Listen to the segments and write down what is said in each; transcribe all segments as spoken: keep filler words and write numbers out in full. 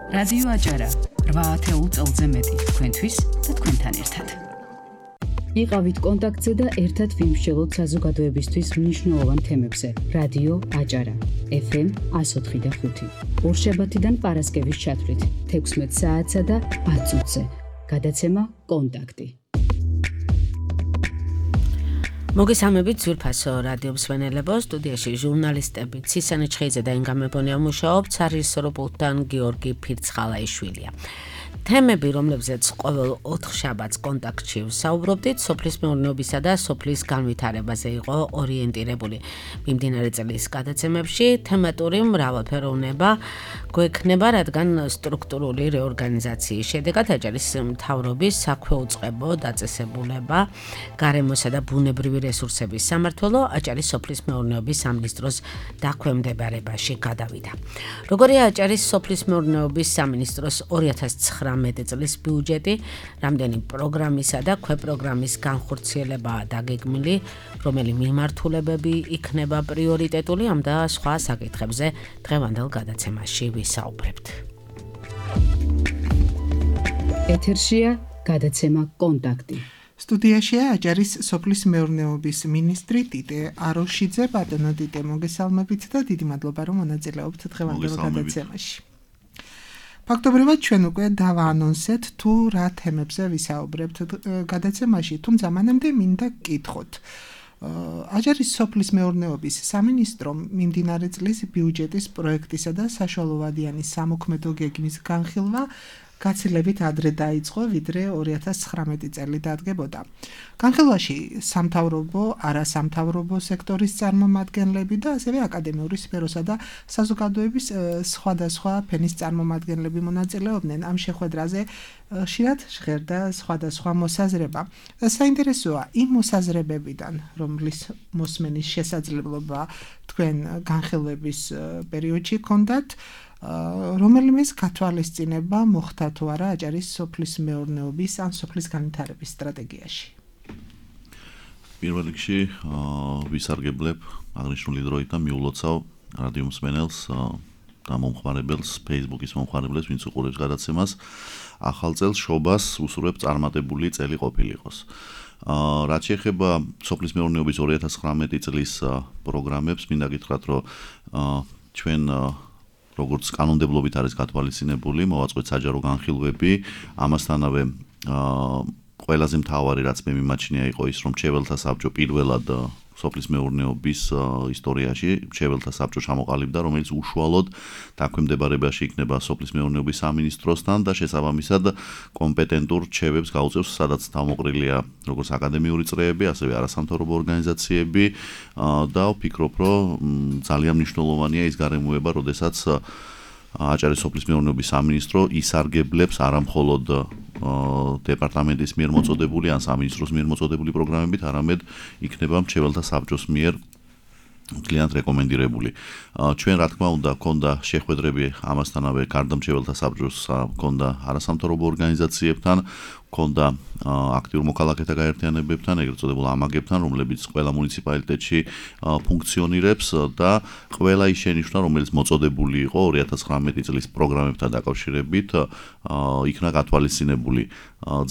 რადიო აჭარა რვა ათეულ წელზე მეტი თქვენთვის და თქვენთან ერთად. იყავით კონტაქტზე და ერთად ვიმსჯელოთ საზოგადოებისთვის მნიშვნელოვან თემებზე. რადიო აჭარა ეფ ემ one oh three point five. ორშაბათიდან პარასკევის ჩათვლით თექვსმეტ საათსა და ათ წუთზე. გადაცემა კონტაქტი. მოგესალმებით ძვირფასო რადიო მსმენელებო, სტუდიაში ჟურნალისტები ცისანი ჩხეიძე და ინგა მებონია მუშაობთ, სარეჟისორო პულტთან გიორგი ფირცხალაიშვილია. თემები, რომლებზეც ყოველ ოთხ შაბათს კონტაქტში ვსაუბრობდით, სოფლის მეურნეობისა და სოფლის განვითარებაზე იყო ორიენტირებული. მიმდინარე წლის გადაცემებში თემატური მრავალფეროვნება გვექნება, რადგან სტრუქტურული რეორგანიზაციის შედეგად აჭარის მთავრობის საქვეუწყებო დაწესებულება, გარემოსა და ბუნებრივი რესურსების სამმართველო აჭარის სოფლის მეურნეობის სამინისტროს დაქვემდებარებაში გადავიდა. როგორია აჭარის სოფლის მეურნეობის სამინისტროს ორი ათას ცხრამეტი წლის ბიუჯეტი, რამდენი პროგრამისა და ქვეპროგრამის განხორციელებაა დაგეგმილი, რომელი მიმართულებები იქნება პრიორიტეტული, ამ და სხვა საკითხებზე დღევანდელ გადაცემაში ვისაუბრებთ. ეთერშია გადაცემა კონტაქტი. სტუდიაშია აჭარის სოფლის მეურნეობის მინისტრი ტიტე აროშიძე. ბატონო ტიტე, მოგესალმებით და დიდი მადლობა, რომ მონაწილეობთ დღევანდელ გადაცემაში. ფაქტობრივად ჩვენ უკვე დავაანონსეთ თუ რა თემებზე ვისაუბრებთ გადაცემაში, თუმცა მანამდე მინდა გკითხოთ. აჭარის სოფლის მეურნეობის სამინისტრომ მიმდინარე წლის ბიუჯეტის პროექტისა და საშუალოვადიანი სამოქმედო გეგმის განხილვა გაცილებით ადრე დაიწყო, ვიდრე ორი ათას ცხრამეტი წელი დადგებოდა. განხილვაში სამთავრობო, არასამთავრობო სექტორის წარმომადგენლები და ასევე აკადემიური სფეროსა და საზოგადოების სხვადასხვა ფენის წარმომადგენლები მონაწილეობდნენ. ამ შეხვედრაზე ხშირად ჟღერდა სხვადასხვა მოსაზრება. საინტერესოა იმ მოსაზრებებიდან, რომლის მოსმენის შესაძლებლობა თქვენ განხილვების პერიოდში ჰქონდათ, რომელიმეს გათვალისწინება მოხდა თუ არა აჭარის სოფლის მეურნეობის ან სოფლის განვითარების სტრატეგიაში? პირველ რიგში ვისარგებლებ აღნიშნული დროით და მიულოცავ რადიო მსმენელს და მომხმარებელს, Facebook-ის მომხმარებელს, ვინც უყურებს გადაცემას. ახალ წელს შობას უსურვებ წარმატებული წელი ყოფილიყოს. რაც შეეხება სოფლის მეურნეობის ორი ათას ცხრამეტი წლის პროგრამებს, მინდა გითხრათ, რომ ჩვენ როგორც კანონმდებლობით არის გათვალისწინებული, მოვაწყვეთ საჯარო განხილვები, ამასთანავე ყველაზე მთავარი, რაც მე მიმაჩნია, იყო ის, რომ მრჩეველთა საბჭო პირველად სოფლის მეურნეობის ისტორიაში მრჩეველთა საბჭო ჩამოყალიბდა, რომელიც უშუალოდ დაქვემდებარებაში იქნება სოფლის მეურნეობის სამინისტროსთან და შესაბამისად კომპეტენტურ რჩევებს გაუწევს, სადაც თავმოყრილია როგორც აკადემიური წრეები, ასევე არასამთავრობო ორგანიზაციები და ვფიქრობ, რომ ძალიან მნიშვნელოვანია ის გარემოება, როდესაც აჭარის სოფლის მეურნეობის სამინისტრო ისარგებლებს არამხოლოდ დეპარტამენტის მიერ მოწოდებული ან სამინისტროს მიერ მოწოდებული პროგრამებით, არამედ იქნება მრჩეველთა საბჭოს მიერ კლიენტ რეკომენდირებული. ჩვენ რა თქმა უნდა ქონდა შეხვედრები ამასთანავე გარდა მრჩეველთა საბჭოს ქონდა არასამთავრობო ორგანიზაციებთან, ქონდა აქტიურ მოქალაქეთა გაერთიანებებთან, ეგრეთ წოდებულ ამაგებთან, რომლებიც ყველა მუნიციპალიტეტში ფუნქციონირებს და ყველა ის შენიშვნა, რომელიც მოწოდებული იყო ორი ათას ცხრამეტი წლის პროგრამებთან დაკავშირებით, იქნა გათვალისწინებული.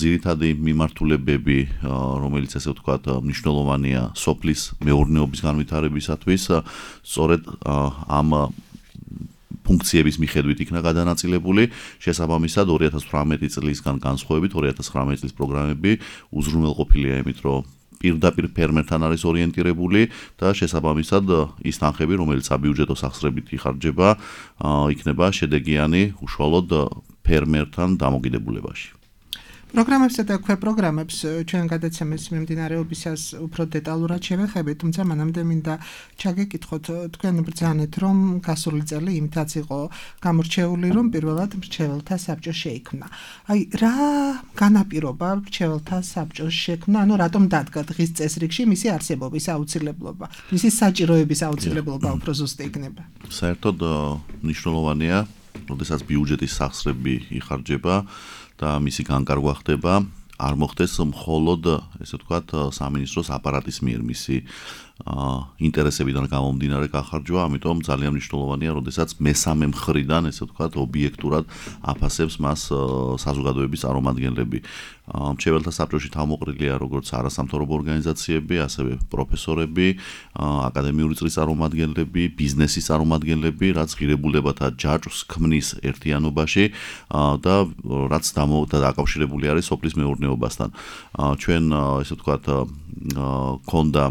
ძირითადი მიმართულებები, რომელიც ესე ვთქვათ, მნიშვნელოვანია სოფლის მეურნეობის განვითარებისათვის, სწორედ ამ ფუნქციების მიხედვით იქნა გადანაწილებული. შესაბამისად ორი ათას თვრამეტი წლისგან განსხვავებით ორი ათას ცხრამეტი წლის პროგრამები უზრუნველყოფილია იმით, რომ პირდაპირ ფერმერთან არის ორიენტირებული და შესაბამისად ის თანხები, რომელიც საბიუჯეტო სახსრებით იხარჯება, იქნება შედეგიანი უშუალოდ ფერმერთან დამოკიდებულებაში. პროგრამებსა და ქვეპროგრამებს ჩვენ გადაცემის მიმდინარეობისას უფრო დეტალურად შევეხებით, თუმცა მანამდე მინდა ჩაგეკითხოთ, თქვენ ბრძანეთ, რომ გასული წელი იმითაც იყო გამორჩეული, რომ პირველად მრჩეველთა საბჭო შეიქმნა. აი, რა განაპირობა მრჩეველთა საბჭოს შექმნა, ანუ რატომ დადგა დღის წესრიგში მისი არსებობის აუცილებლობა, მისი საჭიროების აუცილებლობა უფრო ზუსტი იქნება? საერთოდ მნიშვნელოვანია, როდესაც ბიუჯეტის სახსრები იხარჯება და მისი განკარგვა ხდება, არ მოხდეს მხოლოდ, ესე ვთქვათ, სამინისტროს აპარატის მიერ მისი ინტერესებიდან გამომდინარე გახარჯვა, ამიტომ ძალიან მნიშვნელოვანია, როდესაც მესამე მხრიდან, ესე ვთქვათ, ობიექტურად აფასებს მას საზოგადოების წარმომადგენლები. მრჩეველთა საბჭოში თავმოყრილია როგორც არასამთავრობო ორგანიზაციები, ასევე პროფესორები, აკადემიური წრის წარმომადგენლები, ბიზნესის წარმომადგენლები, რაც ღირებულებათა ჯაჭვს ქმნის ერთიანობაში და რაც დაკავშირებული არის სოფლის მეურნეობასთან. ჩვენ, ესე ვთქვათ, ქონდა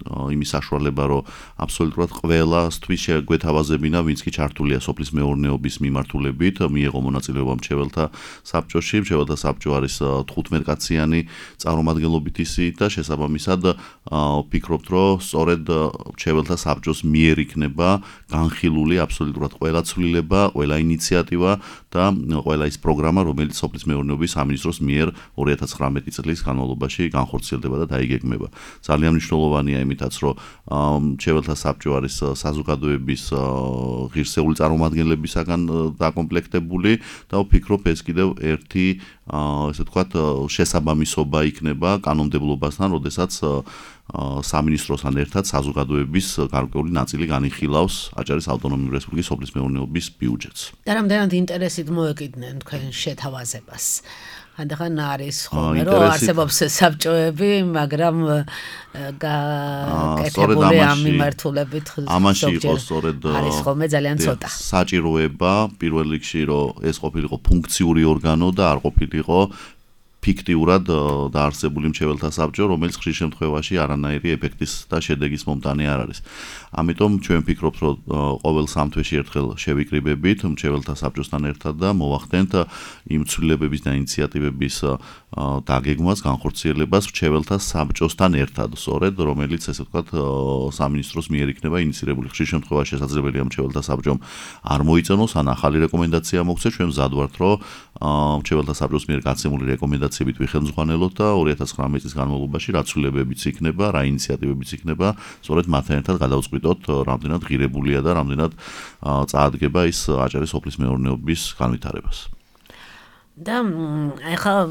იმის საშუალება, რომ აბსოლუტურად ყველასთვის შეგვეთავაზებინა, ვინც კი ჩართულია სოფლის მეურნეობის მიმართულებით, მიიღო მონაწილეობა მრჩეველთა საბჭოში. მრჩეველთა საბჭო არის თხუთმეტკაციანი წარმომადგენლობით ისიც და შესაბამისად ვფიქრობთ, რომ სწორედ მრჩეველთა საბჭოს მიერ იქნება განხილული აბსოლუტურად ყველა ცვლილება, ყველა ინიციატივა და ყველა ის პროგრამა, რომელიც სოფლის მეურნეობის სამინისტროს მიერ ორი ათას ცხრამეტი წლის განმავლობაში განხორციელდება და დაიგეგმება. ძალიან მნიშვნელოვანია იმითაც, რომ მრჩეველთა საბჭო არის საზოგადოების ღირსეული წარმომადგენლებისაგან დაკომპლექტებული და ვფიქრობ, ეს კიდევ ერთი, ესე ვთქვათ, შესაბამისობა იქნება კანონმდებლობასთან, როდესაც სამინისტროსთან ერთად საზოგადოების გარკვეული ნაწილი განიხილავს აჭარის ავტონომიური რესპუბლიკის სოფლის მეურნეობის ბიუჯეტს. და რამდენად ინტერესით მოეკიდნენ თქვენ შეთავაზებას? ანდახან არის ხოლმე რომ არსებობს საბჭოები, მაგრამ გაკეთებული ამ მიმართულებით ამაში იყო სწორედ არის ხოლმე ძალიან ცოტა. საჭიროება პირველ რიგში რომ ეს ყოფილიყო ფუნქციური ორგანო და არ ყოფილიყო ფიქტიურად დაარსებული მრჩეველთა საბჭო, რომელიც ხშირ შემთხვევაში არანაირი ეფექტის და შედეგის მომტანი არ არის. ამიტომ ჩვენ ვფიქრობთ, რომ ყოველ სამ თვეში ერთხელ შევიკრიბებით მრჩეველთა საბჭოსთან ერთად და მოვახდენთ იმ ცვლილებების და ინიციატივების დაგეგმვას, განხორციელებას მრჩეველთა საბჭოსთან ერთად, სწორედ რომელიც, ესე ვთქვათ, სამინისტროს მიერ იქნება ინიცირებული. ხშირ შემთხვევაში შესაძლებელია მრჩეველთა საბჭომ არ მოიწონოს, ან ახალი რეკომენდაცია მოგვცეს. ჩვენ მზად ვართ, რომ მრჩეველთა საბჭოს მიერ გაცემული რეკომენდაციებით ვიხელმძღვანელოთ და ორი ათას ცხრამეტი წლის განმავლობაში რა ცვლილებებიც იქნება, რა ინიციატივებიც იქნება, სწორედ მათთან ერთად გადავწყვიტოთ, რამდენად ღირებულია და რამდენად წაადგება ის აჭარის სოფლის მეურნეობის განვითარებას. და ახლა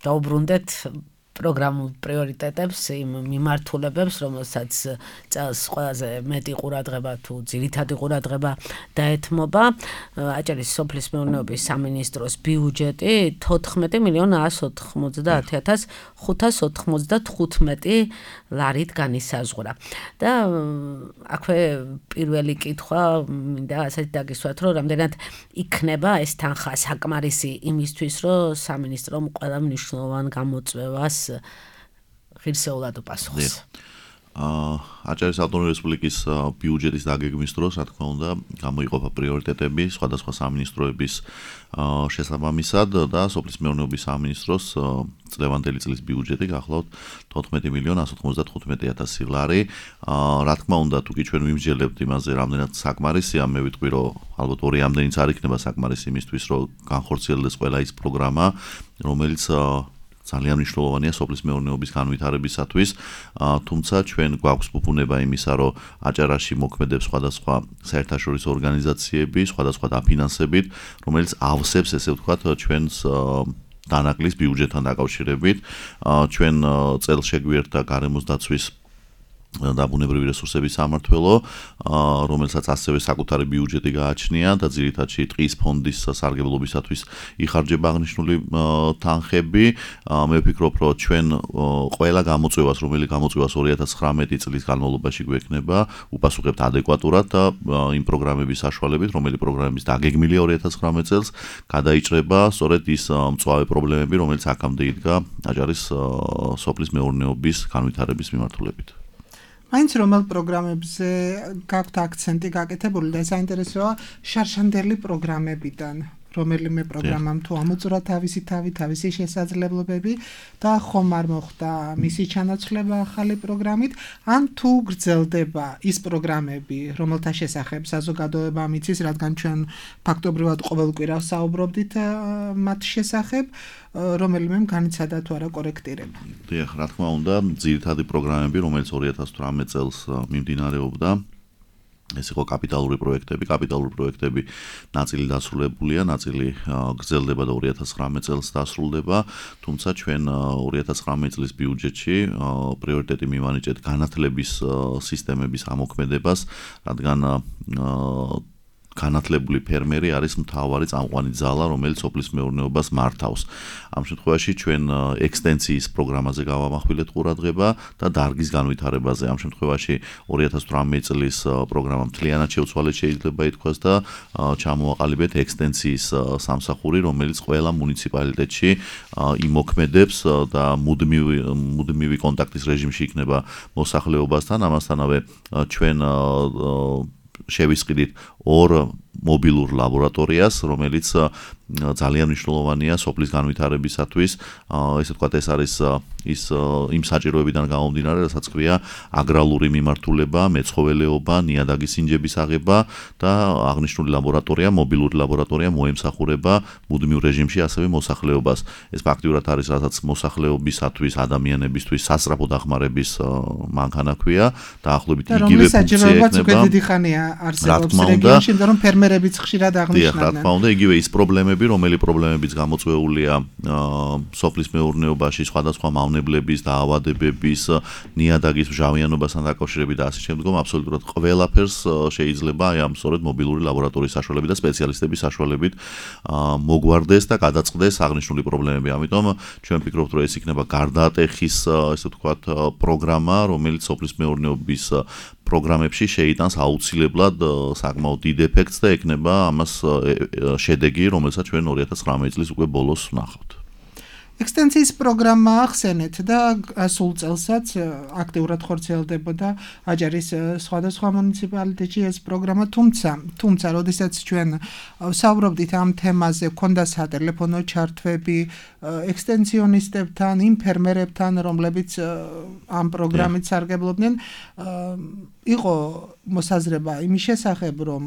დავუბრუნდეთ პროგრამულ პრიორიტეტებს, იმ მიმართულებებს, რომელსაც წელს ყველაზე მეტი ყურადღება თუ ძირითადი ყურადღება დაეთმობა. აჭარის სოფლის მეურნეობის სამინისტროს ბიუჯეტი თოთხმეტი მილიონ ათს ოცდაათი ათას ხუთას ოცდათხუთმეტი ლარით განისაზღვრა. და აქვე პირველი კითხვა მინდა ასეთი დაგისვათ, რომ რამდენად იქნება ეს თანხა საკმარისი იმისთვის, რომ სამინისტრომ ყველა მნიშვნელოვან გამოწვევას ღირსეულად უპასუხოს. აჭარის ავტონომიური რესპუბლიკის ბიუჯეტის დაგეგმვის დროს, რა თქმა უნდა, გამოიყოფა პრიორიტეტები სხვადასხვა სამინისტროების შესაბამისად და სოფლის მეურნეობის სამინისტროს წლევანდელი წლის ბიუჯეტი გახლავთ თოთხმეტი მილიონ ათს ოცდათხუთმეტი ათასი ლარი. რა თქმა უნდა, თუ კი ჩვენ ვიმსჯელებთ იმაზე, რამდენად საკმარისია, მე ვიტყვი, რომ ალბათ ორი ამდენიც არ იქნება საკმარისი იმისთვის, რომ განხორციელდეს ყველა ის პროგრამა, რომელიც ძალიან მნიშვნელოვანია სოფლის მეურნეობის განვითარებისათვის, თუმცა ჩვენ გვაქვს ფუფუნება იმისა, რომ აჭარაში მოქმედებს სხვადასხვა საერთაშორისო ორგანიზაციები, სხვადასხვა დაფინანსებით, რომელიც ავსებს, ესე ვთქვათ, ჩვენს დანაკლის ბიუჯეტთან დაკავშირებით. ჩვენ წელს შეგვიერთდა გარემოს დაცვის და ბუნებრივი რესურსების სამმართველო, რომელსაც ასევე საკუთარი ბიუჯეტი გააჩნია და ძირითადში ტყის ფონდის სარგებლობისათვის იხარჯება აღნიშნული თანხები. მე ვფიქრობ, რომ ჩვენ ყველა გამოწვევას, რომელიც გამოწვევას ორი ათას ცხრამეტი წლის განმავლობაში გვექნება, უპასუხებთ ადეკვატურად და იმ პროგრამების საშუალებით, რომელი პროგრამების დაგეგმილია ორი ათას ცხრამეტ წელს, გადაიჭრება სწორედ ის მწვავე პრობლემები, რომელიც აქამდე იდგა აჭარის სოფლის მეურნეობის განვითარების მიმართულებით. მაინც რომელ პროგრამებზე გაქვთ აქცენტი გაკეთებული და საინტერესოა შარშანდელი პროგრამებიდან, რომელიმე პროგრამამ თუ ამოწურა თავისი თავი, თავისი შესაძლებლობები და ხომ არ მოხდა მისი ჩანაცვლება ახალი პროგრამით, ან თუ გრძელდება ის პროგრამები, რომელთა შესახებ საზოგადოება მიცის, რადგან ჩვენ ფაქტობრივად ყოველ კვირას საუბრობდით მათ შესახებ, რომელიმემ განიცადა თუ არა კორექტირება. დიახ, რა თქმა უნდა, ძირითადი პროგრამები, რომელიც ორი ათას თვრამეტ წელს მიმდინარეობდა, ეს იყო კაპიტალური პროექტები, კაპიტალური პროექტები ნაწილი დასრულებულია, ნაწილი გრძელდება და ორი ათას ცხრამეტ წელს დასრულდება, თუმცა ჩვენ ორი ათას ცხრამეტ წლის ბიუჯეტში პრიორიტეტი მივანიჭეთ განათლების სისტემების ამოქმედებას, რადგან განათლებული ფერმერი არის მთავარი წამყვანი ძალა, რომელიც სოფლის მეურნეობას მართავს. ამ შემთხვევაში ჩვენ ექსტენსიის პროგრამაზე გავამახვილეთ ყურადღება და დარგის განვითარებაზე. ამ შემთხვევაში ორი ათას თვრამეტ წლის პროგრამა მთლიანად შეუცვალეთ შეიძლება ითქვას და ჩამოაყალიბეთ ექსტენსიის სამსახური, რომელიც ყველა მუნიციპალიტეტში იმოქმედებს და მუდმივი მუდმივი კონტაქტის რეჟიმში იქნება მოსახლეობასთან. ამასთანავე ჩვენ შევისყიდით ორ მობილურ ლაბორატორიას, რომელიც ძალიან მნიშვნელოვანია სოფლის განვითარებისათვის. ესე ვთქვათ, ეს არის ის იმ საჭიროებიდან გამომდინარე, რასაც ქვია აგრარული მიმართულება, მეცხოველეობა, ნიადაგის ინჯების აღება და აღნიშნული ლაბორატორია, მობილური ლაბორატორია მოემსახურება მუდმივ რეჟიმში ასევე მოსახლეობას. ეს ფაქტიურად არის, რასაც მოსახლეობისათვის, ადამიანებისთვის სასწრაფო დახმარების მანქანა ქვია, დაახლოებით იგივე ფუნქცია ექნება. დიდი ხანია არსებობს რეგიონში, იმიტომ რომ ფერმერებიც ხშირად აღნიშნავენ. რა თქმა უნდა, იგივე ის პრობლემები, რომელი პრობლემებიც გამოწვეულია სოფლის მეურნეობაში, სხვადასხვა მავნებლების, დაავადებების, ნიადაგის მჟავიანობასთან დაკავშირებით და ასე შემდგომ, აბსოლუტურად ყველაფერს შეიძლება აი ამ სწორედ მობილური ლაბორატორიის საშუალებით და სპეციალისტების საშუალებით მოგვარდეს და გადაწყდეს აღნიშნული პრობლემები. ამიტომ ჩვენ ვფიქრობთ, რომ ეს იქნება გარდაატეხის, ესე ვთქვათ, პროგრამა, რომელიც სოფლის მეურნეობის პროგრამებში შეიტანს აუცილებლად საკმაოდ დიდ ეფექტს და ექნება ამას შედეგი, რომელსაც ჩვენ ორი ათას ცხრამეტ წლის უკვე ბოლოს ვნახავთ. ექსტენსიის პროგრამა ახსენეთ და სულ წელსაც აქტიურად ხორციელდებოდა აჭარის სხვადასხვა მუნიციპალიტეტში ეს პროგრამა, თუმცა, თუმცა, როდესაც ჩვენ ვსაუბრობდით ამ თემაზე, ქონდა სატელეფონო ჩართვები ექსტენსიონისტებთან, იმ ფერმერებთან, რომლებიც ამ პროგრამით სარგებლობდნენ, იყო მოსაზრება იმის შესახებ, რომ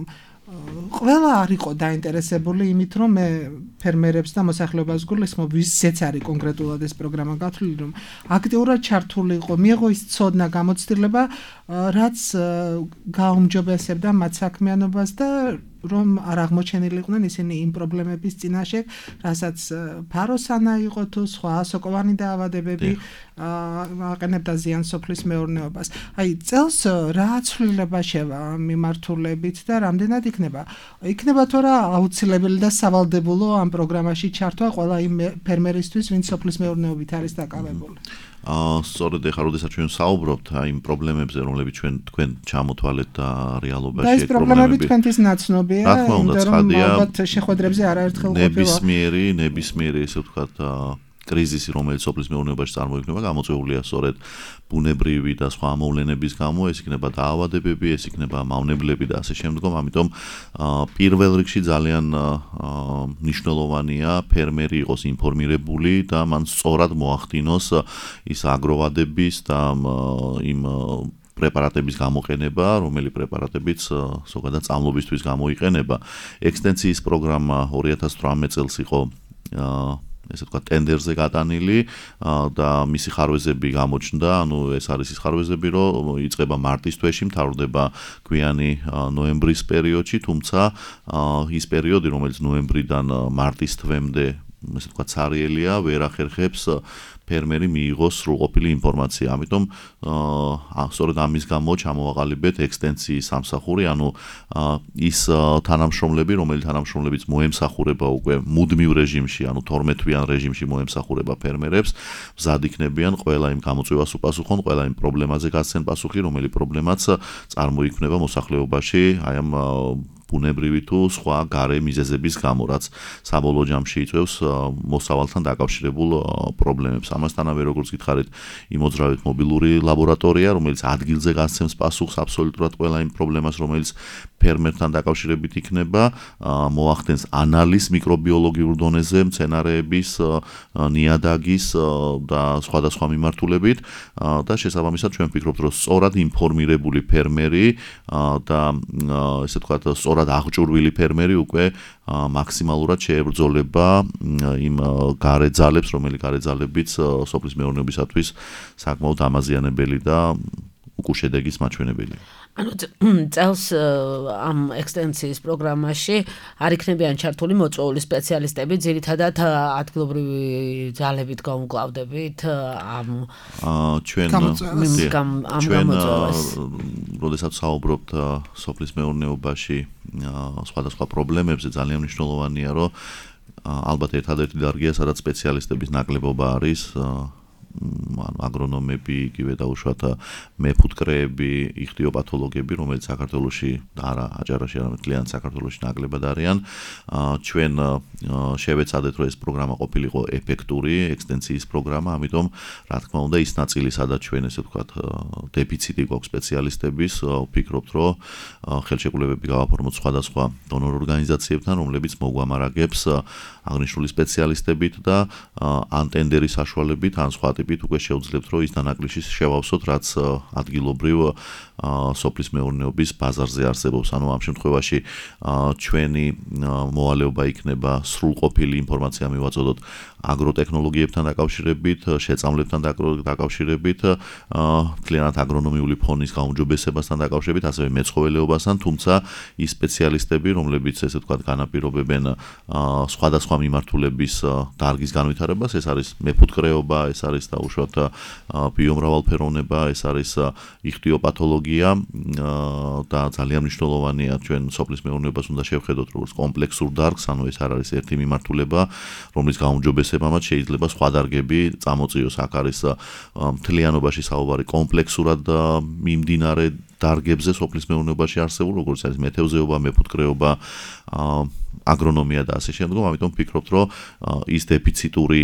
ყველა არ იყო დაინტერესებული იმით, რომ მე ფერმერებს და მოსახლეობას გულისხმობ, ვისაც არის კონკრეტულად ეს პროგრამა გათვლილი, რომ აქტიურად ჩართული იყო, მიიღო ის ცოდნა, გამოცდილება, რაც გაუმჯობესებდა მათ საქმიანობას და რომ არ აღმოჩენილიყვნენ ისინი იმ პრობლემების წინაშე, რასაც ფაროსანა იყო თუ სხვა სოკოვანი დაავადებები აყენებდა ზიანს სოფლის მეურნეობას. აი, წელს რა ცვლილება შევა მიმართულებით და რამდენად იქნება? იქნება თუ რა აუცილებელი და სავალდებულო ამ პროგრამაში ჩართვა ყველა იმ ფერმერისთვის, ვინც სოფლის მეურნეობით არის დაკავებული? აა სწორედ ახლა როდესაც ჩვენ საუბრობთ აი იმ პრობლემებზე, რომლებიც ჩვენ თქვენ ჩამოთვალეთ და რეალობაში ეს პრობლემები თქვენთვის ნაცნობია, რა თქმა უნდა, ცხადია, ალბათ შეხვედრებზე არაერთხელ ყოფილა. ნებისმიერი, ნებისმიერი, ესე ვთქვათ, კრიზისი, რომელიც სოფლის მეურნეობაში წარმოიქმნება, გამოწვეულია სწორედ ბუნებრივი და სხვა მოვლენების გამო, ეს იქნება დაავადებები, ეს იქნება მავნებლები და ასე შემდგომ. ამიტომ პირველ რიგში ძალიან მნიშვნელოვანია ფერმერი იყოს ინფორმირებული და მან სწორად მოახდინოს ის აგროვადების და იმ პრეპარატების გამოყენება, რომელი პრეპარატებიც ზოგადად წამლობისთვის გამოიყენება. ექსტენსიის პროგრამა ორი ათას თვრამეტ წელს იყო ესე ვთქვათ, ტენდერზე გატანილი და მისი ხარვეზები გამოჩნდა, ანუ ეს არის ის ხარვეზები, რომ იწყება მარტის თვეში, მთავრდება გვიანი ნოემბრის პერიოდში, თუმცა ის პერიოდი, რომელიც ნოემბრიდან მარტის თვემდე, ესე ვთქვათ, სარიელია, ვერ ახერხებს ფერმერი მიიღოს სრულყოფილი ინფორმაცია. ამიტომ სწორედ ამის გამო ჩამოვაყალიბეთ ექსტენსიის სამსახური, ანუ ის თანამშრომლები, რომელი თანამშრომლებიც მოემსახურება უკვე მუდმივ რეჟიმში, ანუ თორმეტ-თვიან რეჟიმში მოემსახურება ფერმერებს, მზად იქნებიან ყველა იმ გამოწვევას უპასუხონ, ყველა იმ პრობლემაზე გასცენ პასუხი, რომელი პრობლემაც წარმოიქმნება მოსახლეობაში, აი ამ ბუნებრივი თუ სხვა გარე მიზეზების გამო, რაც საბოლოო ჯამში იწვევს მოსავალთან დაკავშირებულ პრობლემებს. ამასთანავე, როგორც გითხარით, იმოძრავეთ მობილური ლაბორატორია, რომელიც ადგილზე გასცემს პასუხს აბსოლუტურად ყველა იმ პრობლემას, რომელიც ფერმერთან დაკავშირებით იქნება, მოახდენს ანალიზს მიკრობიოლოგიურ დონეზე მცენარეების, ნიადაგის და სხვადასხვა მიმართულებით და შესაბამისად ჩვენ ვფიქრობთ, რომ სწორად ინფორმირებული ფერმერი და ესე ვთქვათ, სწორად აღჭურვილი ფერმერი უკვე მაქსიმალურად შეებრძოლება იმ გარე ძალებს, რომელი გარე ძალებიც სოფლის მეურნეობისათვის საკმაოდ ამაზიანებელი და უკვე შედეგის მაჩვენებელია. ანუ წელს ამ ექსტენსიის პროგრამაში არ იქნებიან ჩართული მოწვეული სპეციალისტები, ძირითადად ადგილობრივი ძალებით გამკლავდებით ამ ჩვენ ჩვენ როდესაც საუბრობთ სოფლის მეურნეობაში სხვადასხვა პრობლემებზე, ძალიან მნიშვნელოვანია, რომ ალბათ ერთადერთი დარგია, სადაც სპეციალისტების ნაკლებობა არის, აგრონომები, იგივე დაუშვათ მეფუტკრეები, იხტიოპათოლოგები, რომელიც საქართველოში და არა აჭარაში, არამედ მთლიან საქართველოში ნაკლებად არიან. ჩვენ შევეცადეთ, რომ ეს პროგრამა ყოფილიყო ეფექტური, ექსტენსიის პროგრამა, ამიტომ რა თქმა უნდა, ის ნაწილი, სადაც ჩვენ ესე ვთქვათ, დეფიციტი გვაქვს სპეციალისტების, ვფიქრობთ, რომ ხელშეკრულებები გავაფორმოთ სხვადასხვა დონორ ორგანიზაციებთან, რომლებიც მოგვამარაგებს აღნიშნული სპეციალისტებით და ან ტენდერის საშუალებით, ან სხვა ტიპით უკვე შეუძლებთ, რომ ის დანაკლისში შევავსოთ, რაც ადგილობრივ სოფლის მეურნეობის ბაზარზე არსებობს. ანუ ამ შემთხვევაში ჩვენი მოვალეობა იქნება სრულყოფილი ინფორმაცია მივაწოდოთ აგროტექნოლოგიებთან დაკავშირებით, შეწამლებთან დაკავშირებით, მთლიანად აგრონომიული ფონის გაუმჯობესებასთან დაკავშირებით, ასევე მეცხოველეობასთან, თუმცა ის სპეციალისტები, რომლებიც ესე ვთქვათ, განაპირობებენ სხვადასხვა მიმართულების დარგის განვითარებას, ეს არის მეფუტკრეობა, ეს არის დაუშვათ ბიომრავალფეროვნება, ეს არის იხტიოპათოლოგია და ძალიან მნიშვნელოვანია ჩვენ სოფლის მეურნეობას უნდა შევხედოთ როგორც კომპლექსურ დარგს, ანუ ეს არ არის ერთი მიმართულება, რომლის გაუმჯობესებამაც შეიძლება სხვა დარგები წამოწიოს. აქ არის მთლიანობაში საუბარი კომპლექსურად მიმდინარე დარგებზე სოფლის მეურნეობაში არსებულ, როგორც არის მეთევზეობა, მეფუტკრეობა, აგრონომია და ასე შემდგომ. ამიტომ ვფიქრობთ, რომ ის დეფიციტური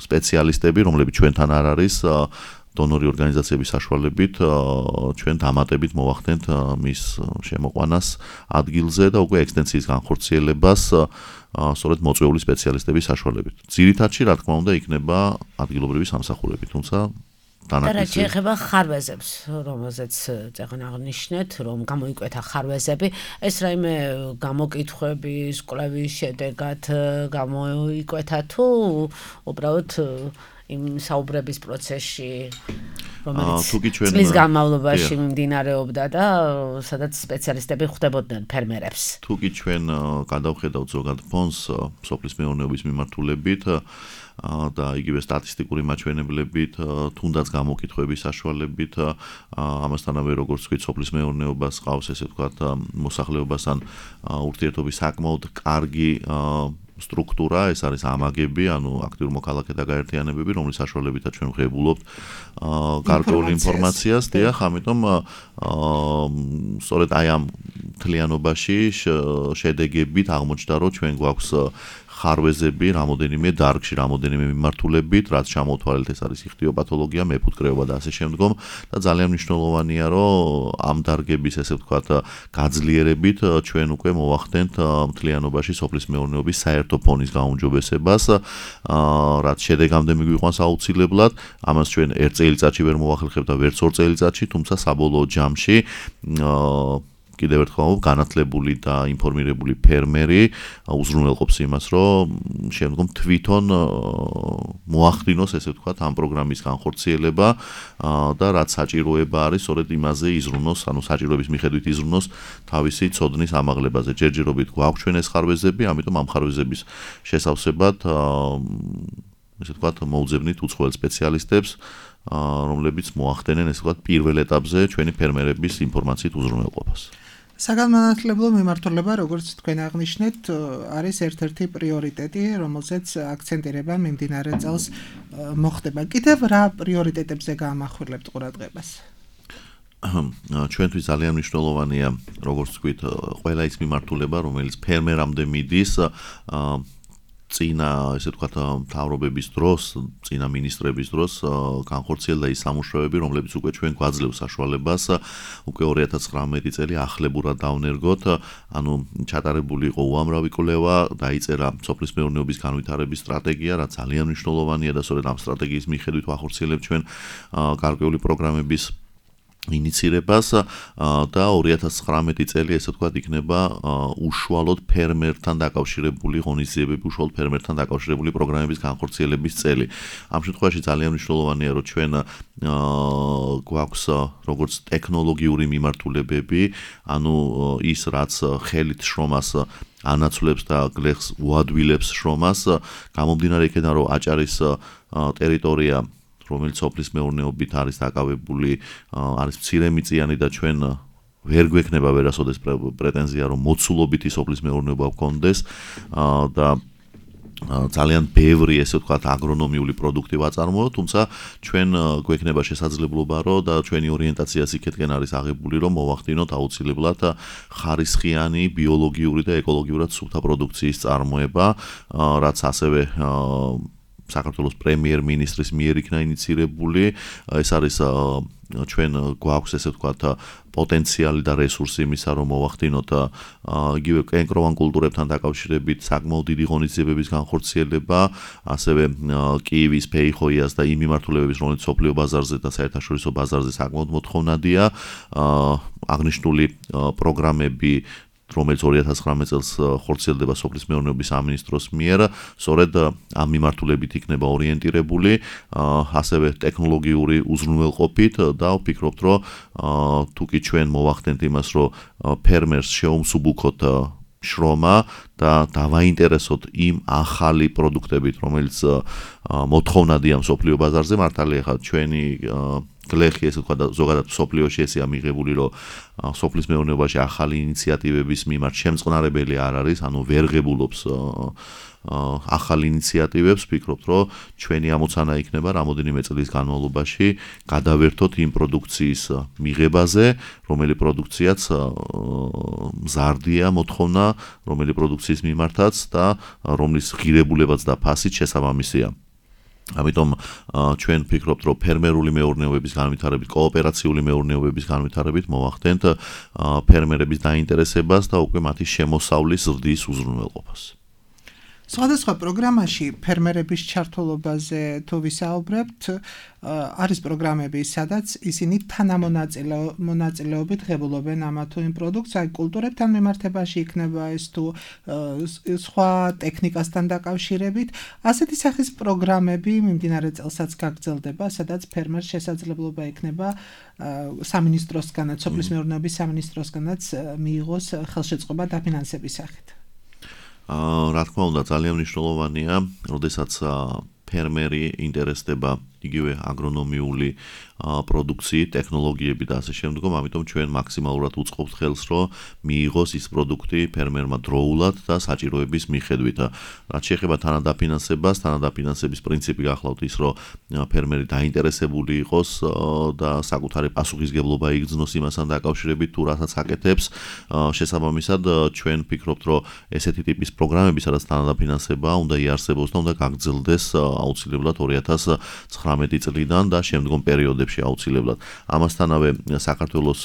სპეციალისტები, რომლებიც ჩვენთან არ არის, დონორი ორგანიზაციების საშუალებით, ჩვენ დამატებით მოვახდენთ მის შემოყვანას ადგილზე და უკვე ექსტენსიის განხორციელებას სწორედ მოწვეული სპეციალისტების საშუალებით. ძირითადში, რა თქმა უნდა, იქნება ადგილობრივი სამსახურები, თუმცა და რაც შეეხება ხარვეზებს, რომელზეც წეგან აღნიშნეთ, რომ გამოიკვეთა ხარვეზები, ეს რაიმე გამოკითხვების, კვლევის შედეგად გამოიკვეთა თუ უბრალოდ იმ საუბრების პროცესში, რომელიც წლის განმავლობაში მიმდინარეობდა და სადაც სპეციალისტები ხვდებოდნენ ფერმერებს. თუ კი ჩვენ გადავხედავთ ზოგად ფონს სოფლის მეურნეობის მიმართულებით და იგივე სტატისტიკური მაჩვენებლებით, თუნდაც გამოკითხვების საშუალებით, ამასთანავე როგორც ვთქვით, სოფლის მეურნეობას ყავს ესე ვთქვათ, მოსახლეობასთან ურთიერთობის საკმაოდ კარგი სტრუქტურა, ეს არის ამაგები, ანუ აქტიურ მოქალაქეთა გაერთიანებები, რომლის საშუალებითაც ჩვენ ვღებულობთ გარკვეულ ინფორმაციას, დიახ, ამიტომ სწორედ აი ამ მთლიანობაში შედეგებით აღმოჩნდა, რომ ჩვენ გვაქვს ხარვეზები რამოდენიმე დარგში, რამოდენიმე მიმართულებით, რაც ჩამოთვალეთ, ეს არის იხტიოპათოლოგია, მეფუტკრეობა და ასე შემდგომ და ძალიან მნიშვნელოვანია, რომ ამ დარგების ესე ვთქვათ, გაძლიერებით ჩვენ უკვე მოვახდენთ მთლიანობაში სოფლის მეურნეობის საერთო ფონის გაუმჯობესებას, რაც შედეგამდე მიგვიყვანს აუცილებლად. ამას ჩვენ ერთ წელიწადში ვერ მოვახერხებთ და ვერც ორ წელიწადში, თუმცა საბოლოო ჯამში კიდევ ერთხელ განათლებული და ინფორმირებული ფერმერი უზრუნველყოფს იმას, რომ შემდგომ თვითონ მოახდინოს, ესე ვთქვათ, ამ პროგრამის განხორციელება და რაც საჭიროება არის, სწორედ იმაზე იზრუნოს, ანუ საჭიროების მიხედვით იზრუნოს თავისი ცოდნის ამაღლებაზე. ჯერჯერობით გვაქვს ჩვენ ეს ხარვეზები, ამიტომ ამ ხარვეზების შესავსებად, ესე ვთქვათ, მოუძებნით უცხოელ სპეციალისტებს, რომლებიც მოახდენენ, ესე ვთქვათ, პირველ ეტაპზე ჩვენი ფერმერების ინფორმაციით უზრუნველყოფას. საგანმანათლებლო მიმართულება, როგორც თქვენ აღნიშნეთ, არის ერთ-ერთი პრიორიტეტი, რომელზეც აქცენტირება მიმდინარე წელს მოხდება. კიდევ რა პრიორიტეტებზე გაამახვილებთ ყურადღებას? ჩვენთვის ძალიან მნიშვნელოვანია, როგორც ვთქვით, ყველა ის მიმართულება, რომელიც ფერმერამდე მიდის, წინა, ესე ვთქვათ, მთავრობების დროს, წინა მინისტრების დროს განხორციელდა ის სამუშაოები, რომლებიც უკვე ჩვენ გვაძლევს საშუალებას უკვე ორი ათას ცხრამეტი წელი ახლებურად დავნერგოთ, ანუ ჩატარებული იყო უამრავი კვლევა, დაიწერა სოფლის მეურნეობის განვითარების სტრატეგია, რაც ძალიან მნიშვნელოვანია და სწორედ ამ სტრატეგიის მიხედვით ვახორციელებთ ჩვენ გარკვეული პროგრამების ინიცირებას და ორი ათას ცხრამეტი წელი ესე ვთქვათ იქნება უშუალოდ ფერმერთან დაკავშირებული ღონისძიებები, უშუალოდ ფერმერთან დაკავშირებული პროგრამების განხორციელების წელი. ამ შემთხვევაში ძალიან მნიშვნელოვანია, რომ ჩვენ გვაქვს როგორც ტექნოლოგიური მიმართულებები, ანუ ის რაც ხელით შრომას ანაცვლებს და გლეხს უადვილებს შრომას, გამომდინარე იქიდან, რომ აჭარის ტერიტორია რომელიც სოფლის მეურნეობით არის დაკავებული, არის მცირემიწიანი და ჩვენ ვერ გვექნება ვერასოდეს პრეტენზია, რომ მოცულობითი სოფლის მეურნეობა გვქონდეს და ძალიან ბევრი, ესე ვთქვათ, აგრონომიული პროდუქტი ვაწარმოოთ, თუმცა ჩვენ გვექნება შესაძლებლობა, რომ და ჩვენი ორიენტაციაც იქეთკენ არის აღებული, რომ მოვახდინოთ აუცილებლად ხარისხიანი, ბიოლოგიური და ეკოლოგიურად სუფთა პროდუქციის წარმოება, რაც ასევე საქართველოს პრემიერ-მინისტრის მიერ იქნა ინიცირებული. ეს არის ჩვენ გვაქვს ესე ვთქვათ პოტენციალი და რესურსი იმისა, რომ მოვახდინოთ იგივე კენკროვან კულტურებთან დაკავშირებით საკმაოდ დიდი ღონისძიებების განხორციელება, ასევე კიევის, ფეიხოიას და იმ მიმართულებების, რომელიც სოფლიო ბაზარზე და საერთაშორისო ბაზარზე საკმაოდ მოთხოვნადია, აღნიშნული პროგრამები რომელიც ორი ათას ცხრამეტ წელს ხორციელდება სოფლის მეურნეობის სამინისტროს მიერ, სწორედ ამ მიმართულებით იქნება ორიენტირებული, ასევე ტექნოლოგიური უზრუნველყოფით და ვფიქრობთ, რომ თუ კი ჩვენ მოვახდენთ იმას, რომ ფერმერს შეუმსუბუქოთ შრომა და დავაინტერესოთ იმ ახალი პროდუქტებით, რომელიც მოთხოვნადია მსოფლიო ბაზარზე, მართალია ხა ჩვენი გლეხი ესე ვთქვა და ზოგადად მსოფლიოში ესეა მიღებული, რომ სოფლის მეურნეობაში ახალი ინიციატივების მიმართ შემწყნარებელი არ არის, ანუ ვერ ღებულობს ახალ ინიციატივებს, ვფიქრობთ, რომ ჩვენი ამოცანა იქნება რამოდენიმე წლის განმავლობაში გადავერთოთ იმ პროდუქციის მიღებაზე, რომელი პროდუქციაც მზარდია მოთხოვნა, რომელი პროდუქციის მიმართაც და რომლის ღირებულებაც და ფასიც შესაბამისია. ამიტომ ჩვენ ვფიქრობთ, რომ ფერმერული მეურნეობების განვითარებით, კოოპერაციული მეურნეობების განვითარებით მოვახდენთ ფერმერების დაინტერესებას და უკვე მათი შემოსავლის ზრდის უზრუნველყოფას. სხვადასხვა პროგრამაში ფერმერების ჩართულობაზე თუ ვისაუბრებთ, არის პროგრამები, სადაც ისინი თანამონაწილეობით ღებულობენ ამა თუ იმ პროდუქტს, აი კულტურებთან მიმართებაში იქნება ეს თუ სხვა ტექნიკასთან დაკავშირებით. ასეთი სახის პროგრამები მიმდინარე წელსაც გაგრძელდება, სადაც ფერმერს შესაძლებლობა ექნება სამინისტროსგანაც, სოფლის მეურნეობის სამინისტროსგანაც მიიღოს ხელშეწყობა დაფინანსების სახით. რა თქმა უნდა, ძალიან მნიშვნელოვანია, როდესაც ფერმერი ინტერესდება იგივე აგრონომიული პროდუქციით, ტექნოლოგიები და ასე შემდგომ, ამიტომ ჩვენ მაქსიმალურად უწყობთ ხელს, რომ მიიღოს ის პროდუქტი ფერმერმა დროულად და საჭიროების მიხედვით. რაც შეეხება თანადაფინანსებას, თანადაფინანსების პრინციპი გახლავთ ის, რომ ფერმერი დაინტერესებული იყოს და საკუთარი პასუხისგებლობა იგრძნოს იმასთან დაკავშირებით, თუ რასაც აკეთებს. შესაბამისად, ჩვენ ვფიქრობთ, რომ ესეთი ტიპის პროგრამები, სადაც თანადაფინანსება უნდა იარსებოს და უნდა გაგრძელდეს აუცილებლად ორი ათას ცხრამეტი წლიდან და შემდგომ პერიოდებში აუცილებლად. ამასთანავე საქართველოს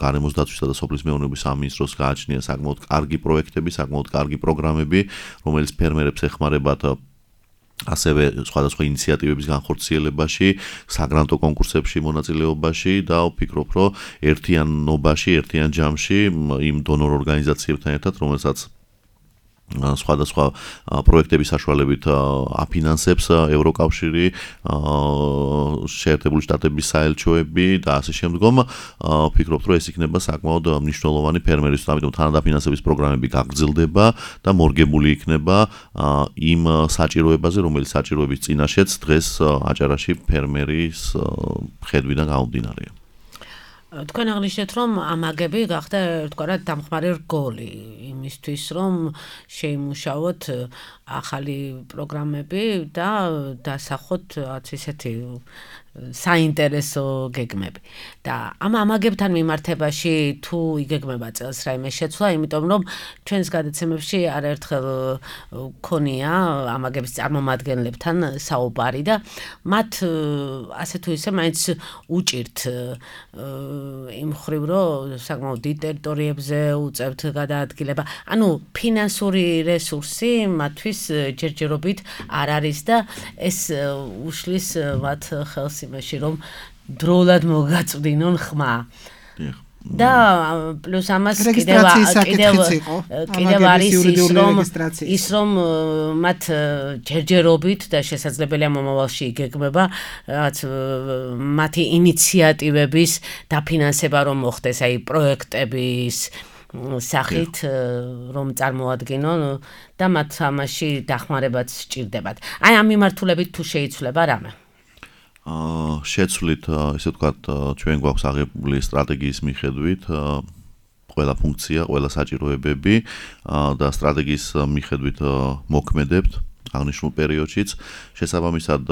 გარემოს დაცვისა და სოფლის მეურნეობის სამინისტროს გააჩნია საკმაოდ კარგი პროექტები, საკმაოდ კარგი პროგრამები, რომელიც ფერმერებს ეხმარებათ ასევე სხვადასხვა ინიციატივების განხორციელებაში, საგრანტო კონკურსებში მონაწილეობაში და ვფიქრობ, რომ ერთიანობაში, ერთიან ჯამში იმ დონორ ორგანიზაციებთან ერთად, რომელსაც სხვადასხვა პროექტების საშუალებით აფინანსებს ევროკავშირი, შეერთებული შტატების საელჩოები და ასე შემდგომ, ვფიქრობ, რომ ეს იქნება საკმაოდ მნიშვნელოვანი ფერმერისთვის, ამიტომ თანადაფინანსების პროგრამები გაგრძელდება და მორგებული იქნება იმ საჭიროებაზე, რომელიც საჭიროების წინაშეც დღეს აჭარაში ფერმერის ხედვიდან გამომდინარეა. თქვენ აღნიშნეთ, რომ ამაგები გახდა ერთგვარად დამხმარე რგოლი იმისთვის, რომ შეიმუშაოთ ახალი პროგრამები და დასახოთ ისეთი საინტერესო გეგმები. და ამ ამაგებთან მიმართებაში თუ იგეგმება წელს რაიმე შეცვლა, იმიტომ რომ ჩვენს გადაცემებში არაერთხელ გქონია ამაგების წარმომადგენლებთან საუბარი და მათ ასე თუ ისე მაინც უჭირთ იმ ხრივ, რომ საკმაოდ დიდ ტერიტორიებზე უწევთ გადაადგილება. ანუ ფინანსური რესურსი მათთვის ჯერჯერობით არ არის და ეს უშლის მათ ხელს იმაში, რომ დროულად მოგაწვდინონ ხმა. და პლუს ამას კიდევ კიდევ კიდევ არის ის რომ ის რომ მათ ჯერჯერობით და შესაძლებელია მომავალში იგეგმება რაც მათი ინიციატივების დაფინანსება რომ მოხდეს აი პროექტების სახით რომ წარმოადგინონ და მათ ამაში დახმარებაც სჭირდებათ. აი ამ მიმართულებით თუ შეიცვლება რამე? აა შეცვლით ესე ვთქვათ ჩვენ გვაქვს აღებული სტრატეგიის მიხედვით ყველა ფუნქცია, ყველა საჭიროებები და სტრატეგიის მიხედვით მოქმედებთ აღნიშნულ პერიოდშიც. შესაბამისად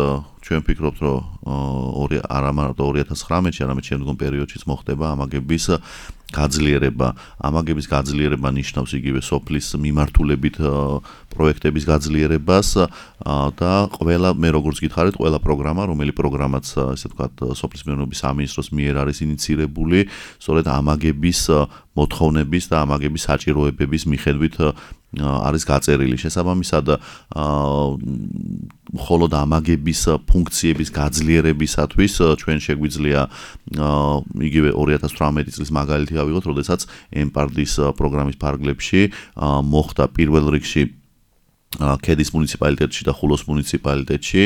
ჩვენ ვფიქრობთ რომ არა მარტო ორი ათას ცხრამეტში, არამედ შემდგომ პერიოდშიც მოხდება ამაგების გაძლიერება. ამაგების გაძლიერება ნიშნავს იგივე სოფლის მიმართულებით პროექტების გაძლიერებას და ყველა მე როგორც გითხარით, ყველა პროგრამა, რომელი პროგრამაც ესე ვთქვათ სოფლის მეურნეობის სამინისტროს მიერ არის ინიციირებული, სწორედ ამაგების მოთხოვნების და ამაგების საჭიროებების მიხედვით არის გაწერილი. შესაბამისად მხოლოდ ამაგების ფუნქციების გაძლიერებისათვის ჩვენ შეგვიძლია იგივე ორი ათას ცხრამეტი წლის მაგალითი ავიღოთ, როდესაც ემპარდის პროგრამის ფარგლებში მოხდა პირველ რიგში ქედის მუნიციპალიტეტში და ხულოს მუნიციპალიტეტში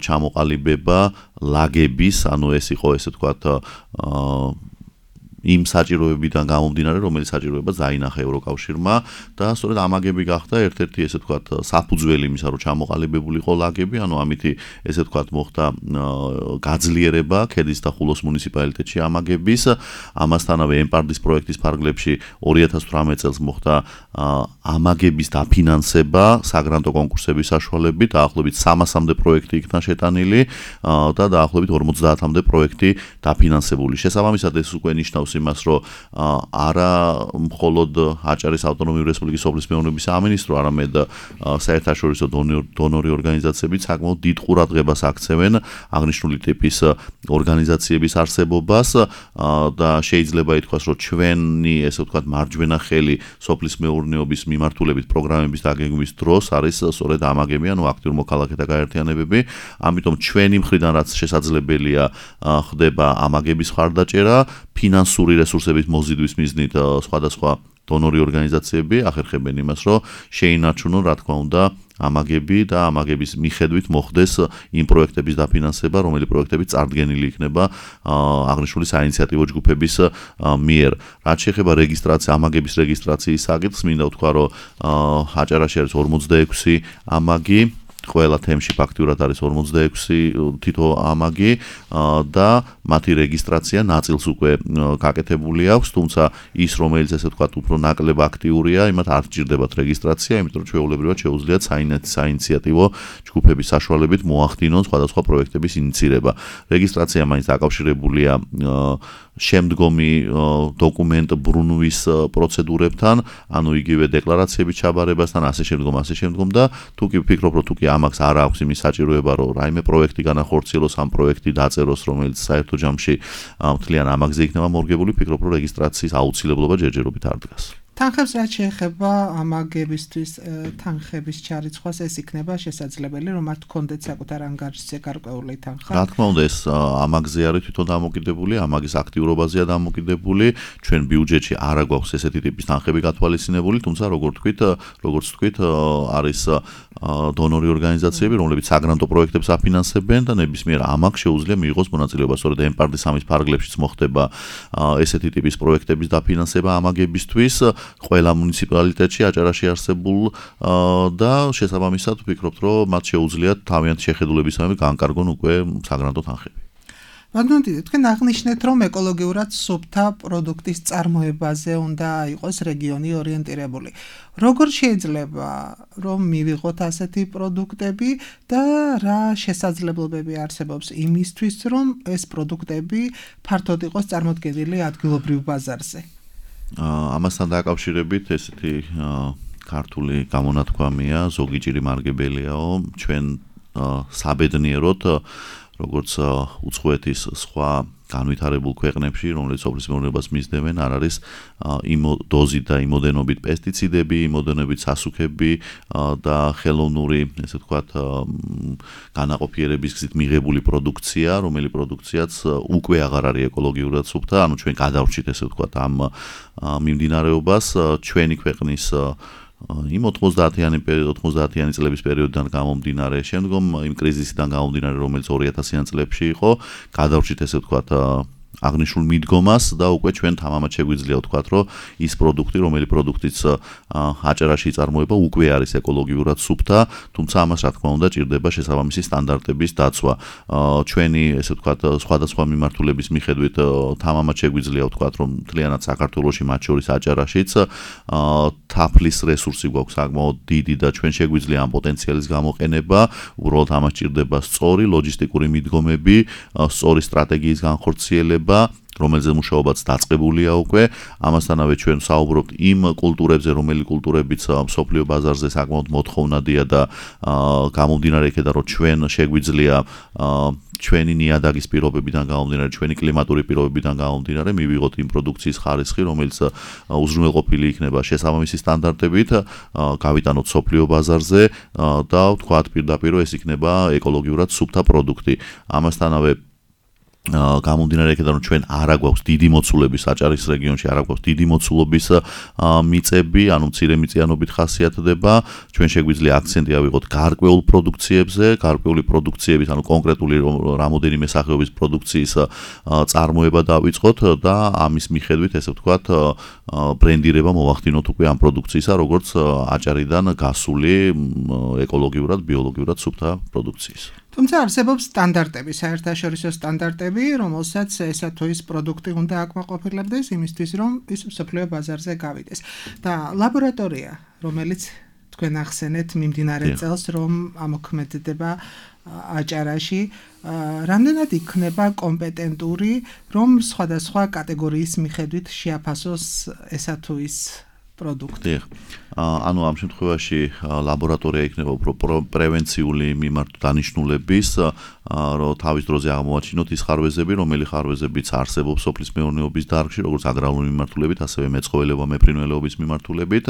ჩამოყალიბება ლაგების, ანუ ეს იყო ესე ვთქვათ იმ საჭიროებებიდან გამომდინარე, რომელიც საჭიროება დაინახა ევროკავშირმა და სწორედ ამაგები გახდა ერთ-ერთი ესე ვთქვათ საფუძველი იმისა, რომ ჩამოყალიბებულიყო ლაგები, ანუ ამითი ესე ვთქვათ მოხდა გაძლიერება ქედის და ხულოს მუნიციპალიტეტში ამაგების. ამასთანავე ემპარდის პროექტის ფარგლებში ორი ათას ცხრამეტ წელს მოხდა ამაგების დაფინანსება საგრანტო კონკურსების საშუალებით, დაახლოებით სამასამდე პროექტი იქნა შეტანილი და დაახლოებით ორმოცდაათამდე პროექტი დაფინანსებული. შესაბამისად ეს უკვე ნიშნავს იმას, რომ არა მხოლოდ აჭარის ავტონომიური რესპუბლიკის სოფლის მეურნეობის სამინისტრო, არამედ საერთაშორისო დონორი ორგანიზაციები საკმაოდ დიდ ყურადღებას აქცევენ აღნიშნული ტიპის ორგანიზაციების არსებობას და შეიძლება ითქვას, რომ ჩვენი ესე ვთქვათ მარჯვენა ხელი სოფლის მეურნეობის მიმართულებით პროგრამების დაგეგმვის დროს არის სწორედ ამაგები, ანუ აქტიურ მოქალაქეთა გაერთიანებები. ამიტომ ჩვენი მხრიდან რაც შესაძლებელია ხდება ამაგების ხარდაჭერა, ფინანსური რესურსების მოზიდვის მიზნით სხვადასხვა დონორი ორგანიზაციები ახერხებენ იმას, რომ შეინარჩუნონ რა თქმა უნდა ამაგები და ამაგების მიხედვით მოხდეს იმ პროექტების დაფინანსება, რომელი პროექტები წარდგენილი იქნება აღნიშნული საინიციატივო ჯგუფების მიერ. რაც შეეხება რეგისტრაცია, ამაგების რეგისტრაციის საკითხს, მინდა ვთქვა, რომ აჭარაში არის ორმოცდაექვსი ამაგი, ყველა თემში ფაქტურად არის ორმოცდაექვსი თითო ამაგი და მათი რეგისტრაცია ნაწილს უკვე გაკეთებული აქვს, თუმცა ის რომელიც ესე ვთქვათ უფრო ნაკლებ აქტიურია, იმათ არ სჭირდებათ რეგისტრაცია, იმიტომ რომ ჩვეულებრივად შეუძლიათ საინიციატივო ჯგუფების საშუალებით მოახდინონ სხვადასხვა პროექტების ინიცირება. რეგისტრაცია მაინც დაკავშირებულია შემდგომი დოკუმენტ ბრუნვის პროცედურებთან, ანუ იგივე დეკლარაციების ჩაბარებასთან, ასე შემდგომ, ასე შემდგომ და თუ კი ვფიქრობ, რომ თუ კი ამას არ აქვს იმის საჭიროება, რომ რაიმე პროექტი განახორციელოს, ამ პროექტი დაწეროს, რომელიც საერთო ჯამში მთლიან ამაგზე იქნება მორგებული, ვფიქრობ, რომ რეგისტრაციის აუცილებლობა ჯერჯერობით არ დგას. თანხებს რაც შეეხება ამაგებისთვის თანხების ჩარიცხვას, ეს იქნება შესაძლებელი, რომ მათ კონდეთ საკუთარ ანგარიშზე გარკვეული თანხა. რა თქმა უნდა, ეს ამაგზე არის თვითონ დამოკიდებული, ამაგის აქტიურობაზეა დამოკიდებული. ჩვენ ბიუჯეტში არა გვაქვს ესეთი ტიპის თანხები გათვალისწინებული, თუმცა როგორ თქვით, როგორც თქვით, არის დონორი ორგანიზაციები, რომლებიც საგრანტო პროექტებს აფინანსებენ და ნებისმიერ ამაგს შეუძლია მიიღოს მონაწილეობა. სწორედ ემპარდის სამის ფარგლებშიც მოხდება ესეთი ტიპის პროექტების დაფინანსება ამაგებისთვის. ყველა მუნიციპალიტეტში აჭარაში არსებულ და შესაბამისად ვფიქრობთ, რომ მათ შეუძლიათ თავიანთი შეხედულებისამებრ განკარგონ უკვე საგრანტო თანხები. ბატონო, თქვენ აღნიშნეთ, რომ ეკოლოგიურად სუფთა პროდუქტის წარმოებაზე უნდა იყოს რეგიონი ორიენტირებული. როგორ შეიძლება რომ მივიღოთ ასეთი პროდუქტები და რა შესაძლებლობები არსებობს იმისთვის, რომ ეს პროდუქტები ფართოდ იყოს წარმოდგენილი ადგილობრივ ბაზარზე? ამასთან დაკავშირებით ესეთი ქართული გამონათქვამია, ზოგი ჭირი მარგებელიაო, ჩვენ საბედნიეროდ როგორც უცხოეთის სხვა განვითარებულ ქვეყნებში, რომელიც სოფლის მეურნეობას მისდევენ, არ არის იმ დოზით და იმოდენობით პესტიციდები, იმოდენობით სასუქები და ხელოვნური, ესე ვთქვათ, განაყოფიერების გზით მიღებული პროდუქცია, რომელი პროდუქციაც უკვე აღარ არის ეკოლოგიურად სუფთა, ანუ ჩვენ გადავრჩით, ესე ვთქვათ, ამ მიმდინარეობას ჩვენი ქვეყნის იმ ოცდაათიანი წლების პერიოდიდან გამომდინარე, შემდგომ იმ კრიზისიდან გამომდინარე, რომელიც ორი ათასიან წლებში იყო, გადავრჩით, ესე ვთქვათ, აღნიშნულ მიდგომას და უკვე ჩვენ თამამად შეგვიძლია ვთქვათ, რომ ის პროდუქტი, რომელი პროდუქტიც აჭარაში იწარმოება, უკვე არის ეკოლოგიურად სუფთა, თუმცა ამას რა თქმა უნდა ჭირდება შესაბამისი სტანდარტების დაცვა. ჩვენი, ესე ვთქვათ, სხვადასხვა მიმართულების მიხედვით თამამად შეგვიძლია ვთქვათ, რომ მთლიანად საქართველოში, მათ შორის აჭარაშიც თაფლის რესურსი გვაქვს საკმაოდ დიდი და ჩვენ შეგვიძლია ამ პოტენციალის გამოყენება, უბრალოდ ამას ჭირდება სწორი ლოჯისტიკური მიდგომები, სწორი სტრატეგიის განხორციელება, რომელზე მუშაობაც დაწყებულია უკვე. ამასთანავე ჩვენ საუბრობთ იმ კულტურებზე, რომელი კულტურებიც მსოფლიო ბაზარზე საკმაოდ მოთხოვნადია და გამომდინარე იქედან, რომ ჩვენ შეგვიძლია ჩვენი ნიადაგის პირობებიდან გამომდინარე, ჩვენი კლიმატური პირობებიდან გამომდინარე, მივიღოთ იმ პროდუქციის ხარისხი, რომელიც უზრუნველყოფილი იქნება შესაბამისი სტანდარტებით, გავიტანოთ მსოფლიო ბაზარზე და ვთქვათ პირდაპირ ეს იქნება ეკოლოგიურად სუფთა პროდუქტი. ამასთანავე გამომდინარე იქედან, რომ ჩვენ არა გვაქვს დიდი მოცულობის აჭარის რეგიონში, არა გვაქვს დიდი მოცულობის მიწები, ანუ მცირე მიწიანობით ხასიათდება, ჩვენ შეგვიძლია აქცენტი ავიღოთ გარკვეულ პროდუქციებზე, გარკვეული პროდუქციების, ანუ კონკრეტული რამოდენიმე სახეობის პროდუქციის წარმოება დავიწყოთ და ამის მიხედვით, ესე ვთქვათ, ბრენდირება მოვახდინოთ უკვე ამ პროდუქციისა, როგორც აჭარიდან გასული ეკოლოგიურად, ბიოლოგიურად სუფთა პროდუქციის. თუმცა არსებობს სტანდარტები, საერთაშორისო სტანდარტები, რომელსაც ესა თუ ის პროდუქტი უნდა აკმაყოფილებდეს იმისთვის, რომ ის მსოფლიო ბაზარზე გავიდეს. და ლაბორატორია, რომელიც თქვენ ახსენეთ მიმდინარე წელს, რომ ამოქმედდება აჭარაში, რამდენად იქნება კომპეტენტური, რომ სხვადასხვა კატეგორიის მიხედვით შეაფასოს ესა თუ ის პროდუქტი. ანუ ამ შემთხვევაში ლაბორატორია იქნება უფრო პრევენციული მიმართ დანიშნულების, რომ თავის დროზე აღმოაჩინოთ ის ხარვეზები, რომელი ხარვეზებიც არსებობს სოფლის მეურნეობის დარგში, როგორც აგრარული მიმართულებით, ასევე მეცხოველეობა, მეფრინველეობის მიმართულებით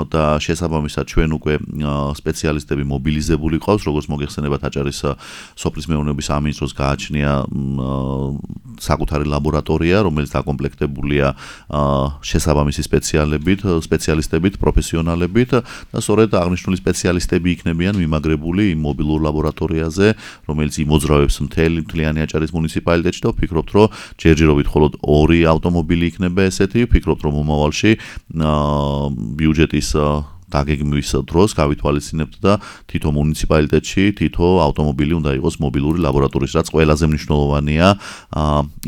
და შესაბამისად ჩვენ უკვე სპეციალისტები მობილიზებული ყავს, როგორც მოგეხსენებათ აჭარის სოფლის მეურნეობის სამინისტროს გააჩნია საკუთარი ლაბორატორია, რომელიც დაკომპლექტებულია შესაბამისი სპეციალებით, სპეციალისტებით, პროფესიონალებით და სწორედ აღნიშნული სპეციალისტები იქნებიან მიმაგრებული იმ მობილურ ლაბორატორიაზე, რომელიც იმოძრავებს მთელი მთლიანი აჭარის მუნიციპალიტეტში და ვფიქრობთ, რომ ჯერჯერობით მხოლოდ ორი ავტომობილი იქნება ესეთი, ვფიქრობთ, რომ მომავალში ბიუჯეტის დაგეგმვის დროს გავითვალისწინებთ და თითო მუნიციპალიტეტში თითო ავტომობილი უნდა იყოს მობილური ლაბორატორიის, რაც ყველაზე მნიშვნელოვანია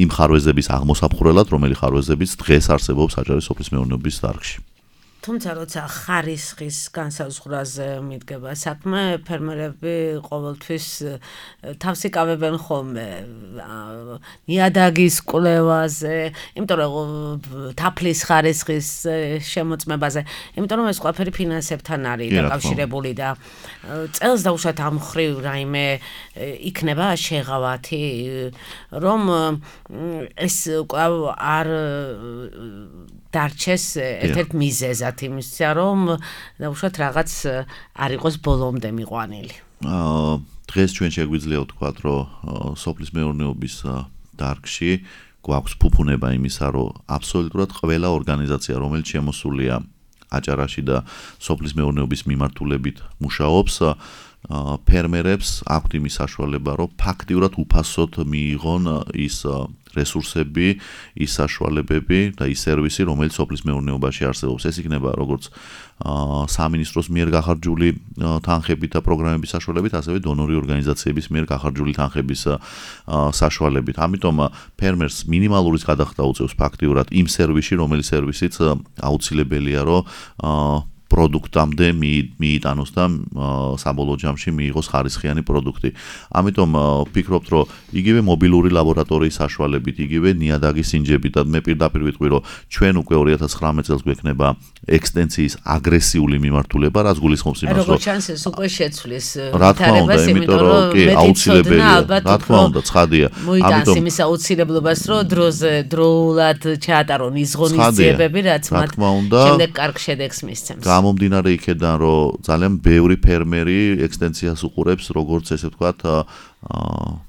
იმ ხარვეზების აღმოსაფხვრელად, რომელი ხარვეზებიც დღეს არსებობს აჭარის სოფლის მეურნეობის დარგში. თუმცა როცა ხარისხის განსაზღვრაზე მიდგება საქმე, ფერმერები ყოველთვის თავს იკავებენ ხოლმე ნიადაგის კვლევაზე, იმიტომ რომ თაფლის ხარისხის შემოწმებაზე, იმიტომ რომ ეს ყველაფერი ფინანსებთან არის დაკავშირებული და წელს დაუშვათ ამ ხრივ რაიმე იქნება შეღავათი, რომ ეს არ დარჩეს ერთ-ერთ მიზეზად იმისა, რომ დაუშვათ რაღაც არ იყოს ბოლომდე მიყვანილი. დღეს ჩვენ შეგვიძლია ვთქვათ, რომ სოფლის მეურნეობის დარგში გვაქვს ფუფუნება იმისა, რომ აბსოლუტურად ყველა ორგანიზაცია, რომელიც შემოსულია აჭარაში და სოფლის მეურნეობის მიმართულებით მუშაობს, ფერმერებს აქვთ იმის საშუალება, რომ ფაქტიურად უფასოდ მიიღონ ის რესურსები, ის საშუალებები და ის სერვისი, რომელიც სოფლის მეურნეობაში არსებობს. ეს იქნება როგორც სამინისტროს მიერ გახარჯული თანხებით და პროგრამების საშუალებით, ასევე დონორი ორგანიზაციების მიერ გახარჯული თანხების საშუალებით. ამიტომ ფერმერს მინიმალურის გადახდა უწევს ფაქტიურად იმ სერვისში, რომელიც სერვისიც აუცილებელია, რომ პროდუქტამდე მიიტანოს და საბოლოო ჯამში მიიღოს ხარისხიანი პროდუქტი. ამიტომ ვფიქრობთ, რომ იგივე მობილური ლაბორატორიის საშუალებით, იგივე ნიადაგის ინჯებით და მე პირდაპირ ვიტყვი, რომ ჩვენ უკვე ორი ათას ცხრამეტ წელს გვექნება ექსტენსიის აგრესიული მიმართულება, რაც გულისხმობს იმას, რომ როგორც ჩანს ეს უკვე შეცვლის რა თქმა უნდა, იმიტომ რომ კი აუცილებელია, რა თქმა უნდა, ცხადია. ამიტომ იმის აუცილებლობას, რომ დროზე დროულად ჩაატარონ ის ღონისძიებები, რაც მათ შემდეგ კარგ შედეგს მისცემს. გამომდინარე იქედან, რომ ძალიან ბევრი ფერმერი ექსტენსიას უყურებს, როგორც ესე ვთქვათ,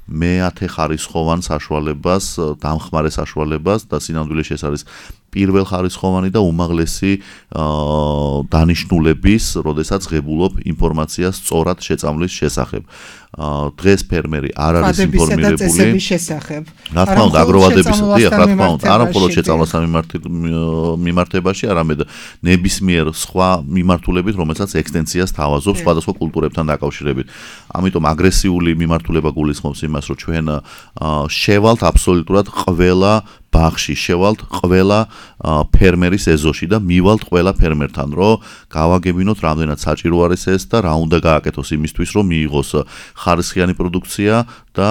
მეათე ხარისხოვან საშუალებას, დამხმარე საშუალებას და სინამდვილეში ეს არის პირველ ხარისხოვანი და უმაღლესი დანიშნულების, როდესაც ღებულობ ინფორმაციას სწორად შეწამლის შესახებ. დღეს ფერმერი არ არის ინფორმირებული რა თქმა უნდა აგროვადების დიახ რა თქმა უნდა არა მხოლოდ შეწამლასთან მიმართებაში, არამედ ნებისმიერ სხვა მიმართულებით, რომელსაც ექსტენსიას თავაზობს სხვადასხვა კულტურებთან დაკავშირებით. ამიტომ აგრესიული მიმართულება გულისხმობს იმას, რომ ჩვენ შევალთ აბსოლუტურად ყველა ბაღში, შევალთ ყველა ფერმერის ეზოში და მივალთ ყველა ფერმერთან, რომ გავაგებინოთ რამდენად საჭირო არის ეს და რა უნდა გააკეთოს იმისთვის, რომ მიიღოს ხარისხიანი პროდუქცია და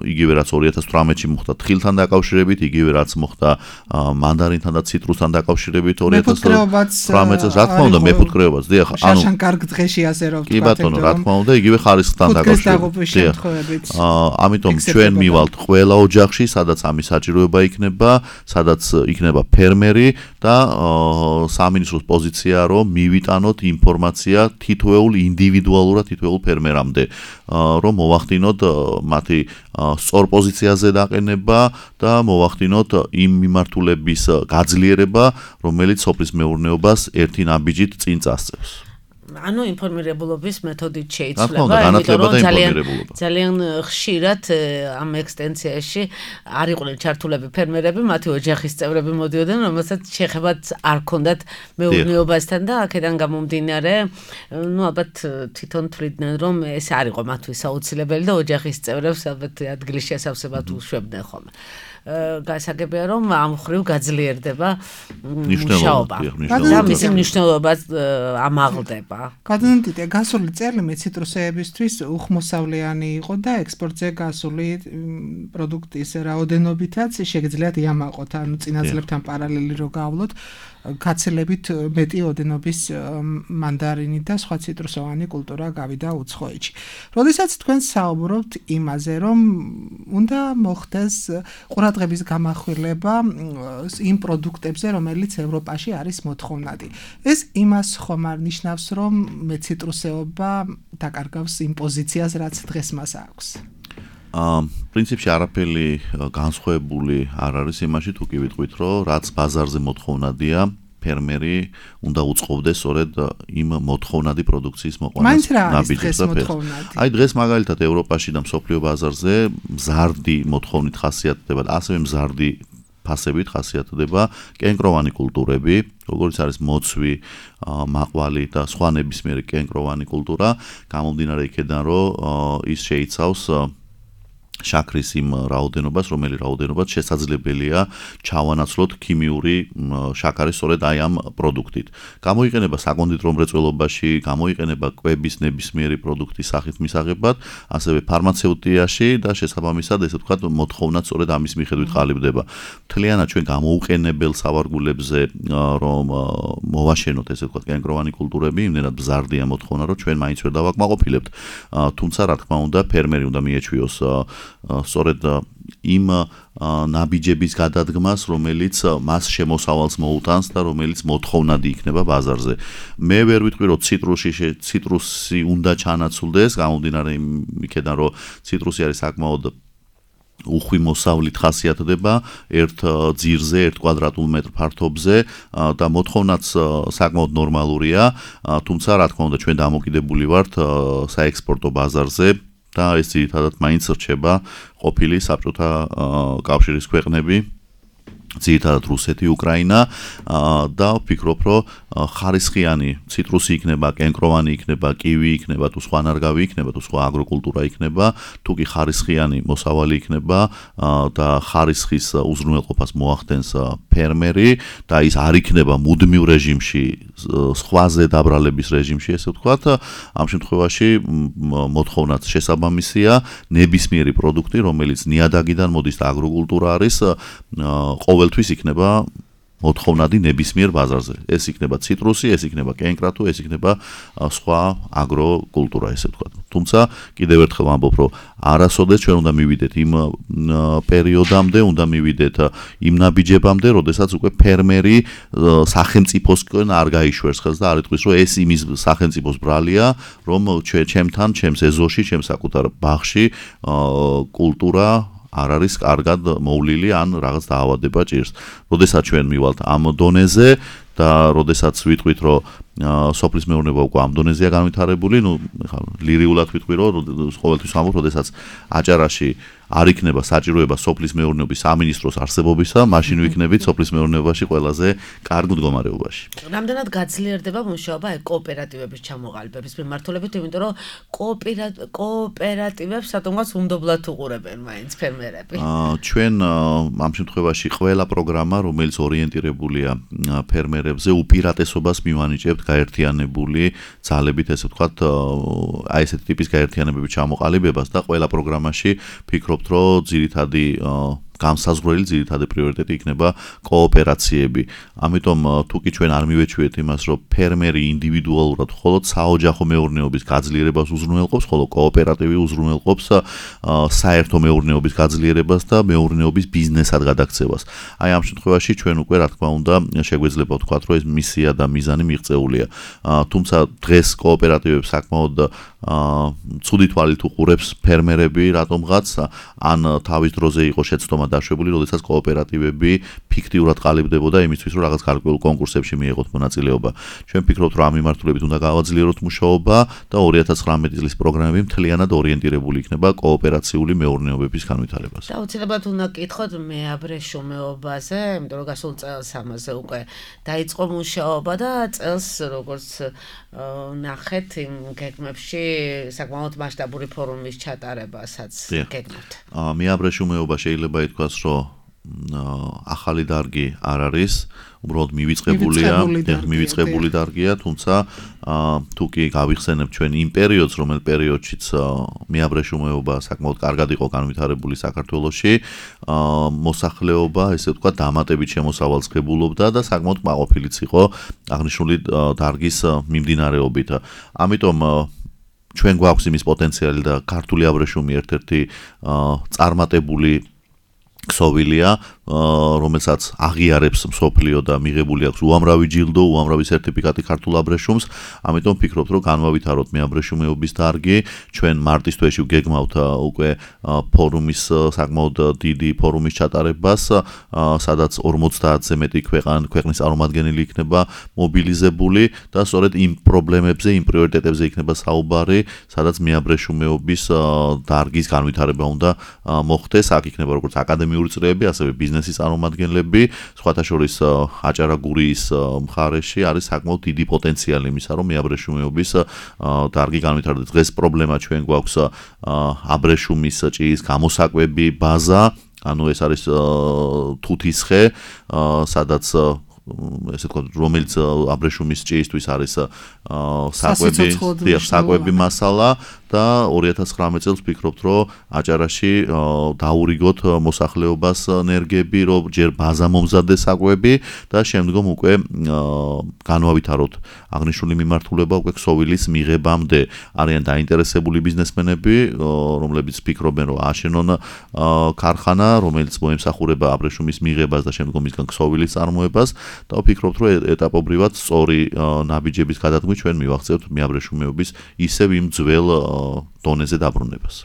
იგივე რაც ორი ათას ცხრამეტში მოხდა თხილთან დაკავშირებით, იგივე რაც მოხდა მანდარინთან და ციტრუსთან დაკავშირებით ორი ათას ცხრამეტ წელს, რა თქმა უნდა, მეფუტკრეობაც, დიახ, ანუ შაშან კარგ დღეში ასე რომ ვთქვათ, კი ბატონო, რა თქმა უნდა, იგივე ხარისხთან დაკავშირებით. ამიტომ ჩვენ მივალთ ყველა ოჯახში, სადაც ამის საჭიროება იქნება, სადაც იქნება ფერმერი და სამინისტროს პოზიცია, რომ მივიტანოთ ინფორმაცია თითოეულ ინდივიდუალურად თითოეულ ფერმერამდე, რომ მოვახდინოთ მათი სწორ პოზიციაზე დაყენება და მოვახდინოთ იმ მიმართულების გაძლიერება, რომელიც სოფლის მეურნეობას ერთი ნაბიჯით წინ წასწევს. ანუ ინფორმირებულობის მეთოდით შეიცვლება, იმიტომ რომ ძალიან ძალიან ხშირად ამ ექსტენსიაში არ იყვნენ ჩართულები ფერმერები, მათი ოჯახის წევრები მოდიოდნენ, რომელსაც შეხებაც არ ჰქონდათ მეურნეობასთან და აქედან გამომდინარე, ну ალბათ თვითონ თვლიდნენ, რომ ეს არ იყო მათთვის აუცილებელი და ოჯახის წევრებს ალბათ ადგილის შესავსებად უშვებდნენ ხოლმე. გასაგებია, რომ ამ ხრივ გაძლიერდება მუშაობა და მისი მნიშვნელობაც ამაღლდება. გადადიდე გასული წელი მე ციტრუსეებისთვის უხმოსავლიანი იყო და ექსპორტზე გასული პროდუქტის რაოდენობითაც შეგიძლიათ იამაყოთ, ანუ წინაძლებთან პარალელი რო გავვლოთ, გაცილებით მეტი ოდენობის მანდარინი და სხვა ციტრუსოვანი კულტურა გავიდა უცხოეთში. როდესაც თქვენ საუბრობთ იმაზე, რომ უნდა მოხდეს ყურადღების გამახვილება იმ პროდუქტებზე, რომელიც ევროპაში არის მოთხოვნადი. ეს იმას ხომ არ ნიშნავს, რომ მე ციტრუსეობა დაკარგავს იმ პოზიციას, რაც დღეს მას აქვს. ამ პრინციპში არაფერი განსხვავებული არ არის იმაში, თუ კი ვიტყვით, რომ რაც ბაზარზე მოთხოვნადია, ფერმერი უნდა უწყობდეს სწორედ იმ მოთხოვნადი პროდუქციის მოყვანას ნაბიჯებს და ფერს. აი დღეს მაგალითად ევროპაში და მსოფლიო ბაზარზე მზარდი მოთხოვნით ხასიათდება და ასევე მზარდი ფასებით ხასიათდება კენკროვანი კულტურები, როგორც არის მოცვი, მაყვალი და სხვა ნებისმიერი კენკროვანი კულტურა, გამომდინარე იქედან, რომ ის შეიცავს შაქრის იმ რაოდენობას, რომელიც რაოდენობას შესაძლებელია ჩავანაცვლოთ ქიმიური შაქარის სწორედ აი ამ პროდუქტით. გამოიყენება საკონდიტრო მრეწველობაში, გამოიყენება კვების ნებისმიერი პროდუქტის სახით მისაღებად, ასევე ფარმაცევტიაში და შესაბამისად, ესე ვთქვათ, მოთხოვნაც სწორედ ამის მიხედვით ყალიბდება. მთლიანად ჩვენ გამოუყენებელ სავარგულებზე, რომ მოვაშენოთ, ესე ვთქვათ, კენკროვანი კულტურები, იმდენად მზარდია მოთხოვნა, რომ ჩვენ მაინც ვერ დავაკმაყოფილებთ. თუმცა, რა თქმა უნდა, ფერმერი უნდა მიეჩვიოს სწორედ იმ ნაბიჯების გადადგმას, რომელიც მას შემოსავალს მოუტანს და რომელიც მოთხოვნადი იქნება ბაზარზე. მე ვერ ვიტყვი, რომ ციტრუსი ციტრუსი უნდა ჩანაცვლდეს, გამომდინარე იქედან, რომ ციტრუსი არის საკმაოდ უხვი მოსავლით ხასიათდება ერთ ძირზე, ერთ კვადრატულ მეტრ ფართობზე და მოთხოვნაც საკმაოდ ნორმალურია, თუმცა რა თქმა უნდა ჩვენ დამოკიდებული ვართ საექსპორტო ბაზარზე და ეს ძირითადად მაინც რჩება ყოფილი საბჭოთა კავშირის ქვეყნები, ძირითადად რუსეთი, უკრაინა და ვფიქრობ, რომ ხარისხიანი ციტრუსი იქნება, კენკროვანი იქნება, კივი იქნება, თუ სხვა ნარგავი იქნება, თუ სხვა აგროკულტურა იქნება, თუ კი ხარისხიანი მოსავალი იქნება და ხარისხის უზრუნველყოფას მოახდენს ფერმერი და ის არ იქნება მუდმივ რეჟიმში, სხვაზე დაბრალების რეჟიმში, ესე ვთქვათ, ამ შემთხვევაში მოთხოვნაც შესაბამისია, ნებისმიერი პროდუქტი, რომელიც ნიადაგიდან მოდის და აგროკულტურა არის, ყოველთვის იქნება მოთხოვნადი ნებისმიერ ბაზარზე. ეს იქნება ციტრუსი, ეს იქნება კენკრათუ, ეს იქნება სხვა აგროკულტურა, ესე ვთქვათ. თუმცა კიდევ ერთხელ ვამბობ, რომ არასოდეს ჩვენ უნდა მივიდეთ იმ პერიოდამდე, უნდა მივიდეთ იმ ნაბიჯებამდე, როდესაც უკვე ფერმერი სახელმწიფოსკენ არ გაიშვერს ხელს და არ იტყვის, რომ ეს იმის სახელმწიფოს ბრალია, რომ ჩემთან, ჩემს ეზოში, ჩემს საკუთარ ბაღში კულტურა არ არის კარგად მოვლილი ან რაღაც დაავადება ჭირს. როდესაც ჩვენ მივალთ ამ დონეზე და როდესაც ვიტყვით, რომ სოფლის მეურნეობა უკვე ამ დონეზეა განვითარებული, ну, ლირიულად ვიტყვი, რომ ყოველთვის ვამბობ, როდესაც აჭარაში არ იქნება საჭიროება სოფლის მეურნეობის სამინისტროს არსებობისა, მაშინ ვიქნებით სოფლის მეურნეობაში ყველაზე კარგ მდგომარეობაში. რამდენად გაძლიერდება მუშაობა კოოპერატივების ჩამოყალიბების მიმართულებით, იმიტომ რომ კოოპერატივებს სადღაც უნდობლად უყურებენ მაინც ფერმერები. ჩვენ ამ შემთხვევაში ყველა პროგრამა, რომელიც ორიენტირებულია ფერმერებზე, უპირატესობას მივანიჭებთ გაერთიანებული ძალებით, ესე ვთქვათ, აი ესეთი ტიპის გაერთიანებების ჩამოყალიბებას და ყველა პროგრამაში ფიქრობ რომ ძირითადი გამსაზღვრელი ძირითადი პრიორიტეტი იქნება კოოპერაციები. ამიტომ თუ კი ჩვენ არ მივეჩვიეთ იმას, რომ ფერმერი ინდივიდუალურად მხოლოდ საოჯახო მეურნეობის გაძლიერებას უზრუნველყოფს, ხოლო კოოპერატივი უზრუნველყოფს საერთო მეურნეობის გაძლიერებას და მეურნეობის ბიზნესად გადაქცევას. აი ამ შემთხვევაში ჩვენ უკვე რა თქმა უნდა შეგვეძლება ვთქვათ, რომ ეს მისია და მიზანი მიღწეულია. თუმცა დღეს კოოპერატივებს საკმაოდ ცუდი თვალით უყურებს ფერმერები რატომღაც ან თავის დროზე იყო შეცდომა დაშვებული, როდესაც კოოპერატივები ფიქტიურად ყალიბდებოდა იმისთვის, რომ რაღაც გარკვეულ კონკურსებში მიეღოთ მონაწილეობა. ჩვენ ვფიქრობთ, რომ ამ მიმართულებით უნდა გავაძლიეროთ მუშაობა და ორი ათას ცხრამეტი წლის პროგრამები მთლიანად ორიენტირებული იქნება კოოპერაციული მეურნეობების განვითარებას. და უცილებლად უნდა კითხოთ მეაბრეშუმეობაზე, იმიტომ რომ გასულ წელს ამაზე უკვე დაიწყო მუშაობა და წელს როგორც ნახეთ იმ გეგმებში საკმაოდ მასშტაბური ფორუმის ჩატარებასაც გეგმავთ. მეაბრეშუმეობა შეიძლება ითქვას, რომ ახალი დარგი არ არის, უბრალოდ მივიწყებულია, მივიწყებული დარგია, თუმცა თუ კი გავიხსენებ ჩვენ იმ პერიოდს, რომელ პერიოდშიც მეაბრეშუმეობა საკმაოდ კარგად იყო განვითარებული საქართველოში, მოსახლეობა, ესე ვთქვათ, დამატებით შემოსავალს ღებულობდა და საკმაოდ კმაყოფილიც იყო აღნიშნული დარგის მიმდინარეობით. ამიტომ ჩვენ გვაქვს იმის პოტენციალი და ქართული აბრეშუმი ერთ-ერთი წარმატებული ქსოვილია, რომელსაც აღიარებს მსოფლიო და მიღებული აქვს უამრავი ჯილდო, უამრავი სერტიფიკატი ქართულ აბრეშუმს. ამიტომ ვფიქრობ, რომ განვავითაროთ მეაბრეშუმეობის დარგი. ჩვენ მარტის თვეში გეგმავთ უკვე ფორუმის საკმაოდ დიდი ფორუმის ჩატარებას, სადაც ორმოცდაათზე მეტი ქვეყანა ქვეყნის წარმომადგენელი იქნება მობილიზებული და სწორედ იმ პრობლემებზე, იმ პრიორიტეტებზე იქნება საუბარი, სადაც მეაბრეშუმეობის დარგის განვითარება უნდა მოხდეს. აქ იქნება როგორც აკადემიური წრეები, ასევე ბიზნესის წარმომადგენლები, სხვათა შორის აჭარა-გურიის მხარეში არის საკმაოდ დიდი პოტენციალი იმისა, რომ მეაბრეშუმეობის დარგი განვითარდეს. დღეს პრობლემა ჩვენ გვაქვს აბრეშუმის ჭიის გამოსაკვები ბაზა, ანუ ეს არის თუთისხე, სადაც ესე ვთქვათ, რომელიც აბრეშუმის ჭიისთვის არის საკვები, საკვები მასალა და ორი ათას ცხრამეტ წელს ვფიქრობთ, რომ აჭარაში დაურიგოთ მოსახლეობას ნერგები, რომ ჯერ ბაზა მომზადდეს საკვები და შემდგომ უკვე განვავითაროთ აღნიშნული მიმართულება უკვე ქსოვილის მიღებამდე. არიან დაინტერესებული ბიზნესმენები, რომლებიც ფიქრობენ, რომ აშენონ ქარხანა, რომელიც მოემსახურება აბრეშუმის მიღებას და შემდგომ ისგან ქსოვილის წარმოებას და ვფიქრობთ, რომ ეტაპობრივად სწორი ნაბიჯების გადადგმით ჩვენ მივახცევთ მეაბრეშუმეობის ისევ იმ ძველ დონეზე დაბრუნებას.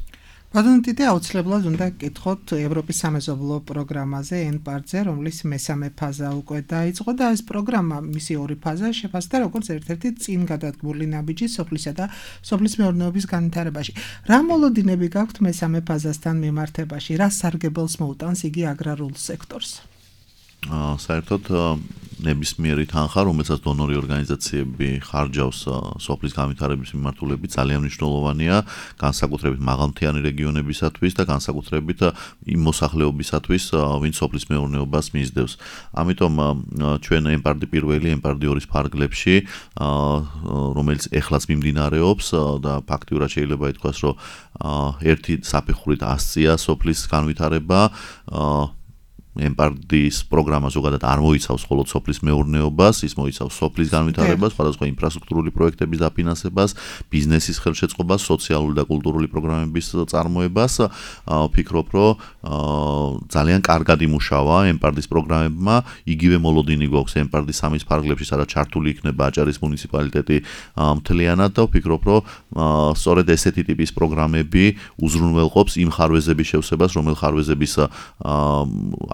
ბატონო ტიტე, აუცილებლად უნდა გკითხოთ ევროპის სამეზობლო პროგრამაზე ენ-პარტზე, რომლის მესამე ფაზა უკვე დაიწყო და ეს პროგრამა მისი ორი ფაზა შეფასდა როგორც ერთ-ერთი წინ გადადგმული ნაბიჯი სოფლისა და სოფლის მეურნეობის განვითარებაში. რა მოლოდინები გაქვთ მესამე ფაზასთან მიმართებაში? რა სარგებელს მოუტანს იგი აგრარულ სექტორს? საერთოდ ნებისმიერი თანხა, რომელსაც დონორი ორგანიზაციები ხარჯავს სოფლის განვითარების მიმართულებით, ძალიან მნიშვნელოვანია განსაკუთრებით მაღალმთიანი რეგიონებისათვის და განსაკუთრებით იმ მოსახლეობისათვის, ვინც სოფლის მეურნეობას მისდევს. ამიტომ ჩვენ ემპარდი პირველი, ემპარდი ორის ფარგლებში, რომელიც ეხლაც მიმდინარეობს და ფაქტიურად შეიძლება ითქვას, რომ ერთი საფეხურით ასწია სოფლის განვითარება, ემპარდის პროგრამა ზოგადად არ მოიცავს მხოლოდ სოფლის მეურნეობას, ის მოიცავს სოფლის განვითარებას, სხვადასხვა ინფრასტრუქტურული პროექტების დაფინანსებას, ბიზნესის ხელშეწყობას, სოციალური და კულტურული პროგრამების წარმოებას. ვფიქრობ, რომ ძალიან კარგად იმუშავა ემპარდის პროგრამებმა, იგივე მოლოდინი გვაქვს ემპარდის სამის ფარგლებში, სადაც ჩართული იქნება აჭარის მუნიციპალიტეტი მთლიანად და ვფიქრობ, რომ სწორედ ესეთი ტიპის პროგრამები უზრუნველყოფს იმ ხარვეზების შევსებას, რომელ ხარვეზების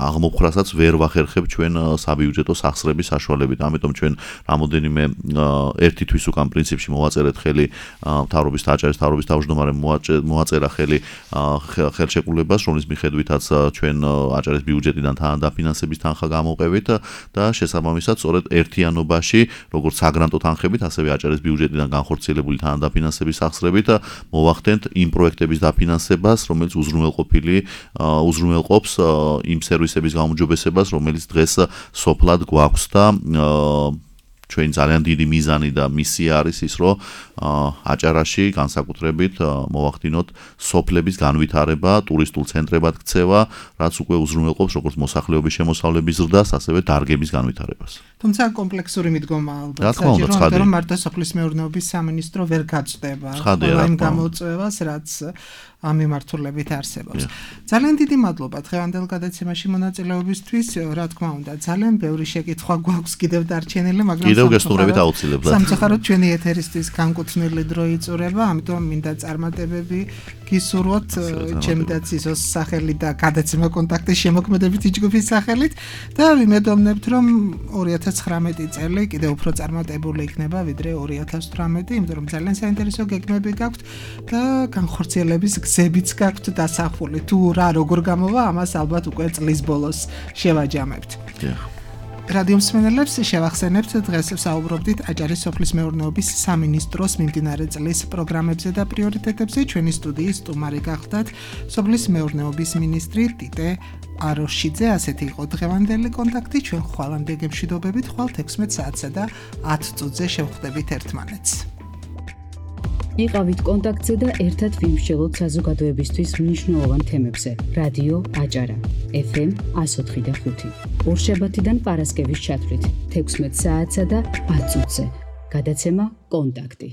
აღმოფხრასაც ვერ ვახერხებ ჩვენ საბიუჯეტო სახსრების საშუალებით. ამიტომ ჩვენ რამოდენიმე ერთი თვის უკან პრინციპში მოვაწერეთ ხელი მთავრობის და აჭარის მთავრობის თავმჯდომარემ მოვაწერა ხელი ხელშეკრულებას, რომლის მიხედვითაც ჩვენ აჭარის ბიუჯეტიდან თანადაფინანსების თანხა გამოვყევით და შესაბამისად სწორედ ერთიანობაში, როგორც საგრანტო თანხებით, ასევე აჭარის ბიუჯეტიდან განხორციელებული თანადაფინანსების სახსრებით მოვახდენთ იმ პროექტების დაფინანსებას, რომელიც უზრუნველყოფილი უზრუნველყოფს იმ სერვისების გაუმჯობესებას, რომელიც დღეს სოფლად გვაქვს და ჩვენ ძალიან დიდი მიზანი და მისია არის ის, რომ აჭარაში განსაკუთრებით მოვახდინოთ სოფლების განვითარება, ტურისტულ ცენტრებად ქცევა, რაც უკვე უზრუნველყოფს როგორც მოსახლეობის შემოსავლების ზრდას, ასევე დარგების განვითარებას. თუმცა კომპლექსური მიდგომა ალბათ საჭირო, რომ მარტო სოფლის მეურნეობის სამინისტრო ვერ გაწდება იმ გამოწვევას, რაც ამ მიმართულებით არსებობს. ძალიან დიდი მადლობა დღევანდელ გადაცემაში მონაწილეობისთვის. რა თქმა უნდა, ძალიან ბევრი შეკითხვა გვაქვს კიდევ დარჩენილი, მაგრამ კიდევ გესტუმრებით აუცილებლად. სამწუხაროდ ჩვენი ეთერისთვის განკუთვნილი დრო იწურება, ამიტომ მინდა წარმატებები გისურვოთ ჩემი და ცისოს სახელით და გადაცემა კონტაქტის შემოქმედებითი ჯგუფის სახელით და ვიმედოვნებთ, რომ ორი ათას ცხრამეტი წელი კიდევ უფრო წარმატებული იქნება ვიდრე ორი ათას თვრამეტი, იმიტომ რომ ძალიან საინტერესო გეგმები გაქვთ და განხორციელების გზებიც გაქვთ დასახული. თუ რა როგორ გამოვა, ამას ალბათ უკვე წლის ბოლოს შევაჯამებთ. რადიო მსმენელებს შევახსენებთ, დღეს ვსაუბრობდით აჭარის სოფლის მეურნეობის სამინისტროს მიმდინარე წლის პროგრამებზე და პრიორიტეტებზე. ჩვენი სტუდიის სტუმარი გახდათ სოფლის მეურნეობის მინისტრი ტიტე აროშიძე. ასეთი იყო დღევანდელი კონტაქტი. ჩვენ ხვალამდე გემშვიდობებით, ხვალ ექვსმეტ საათსა და ათ წუთზე შევხვდებით ერთმანეთს. იყავით კონტაქტზე და ერთად ვიმსჯელოთ საზოგადოებისთვის მნიშვნელოვან თემებზე. რადიო აჭარა ეფ ემ εκατო ოთხი და ხუთი. ორშაბათიდან პარასკევის ჩათვლით ექვსმეტ საათსა და ათ წუთზე. გადაცემა კონტაქტი.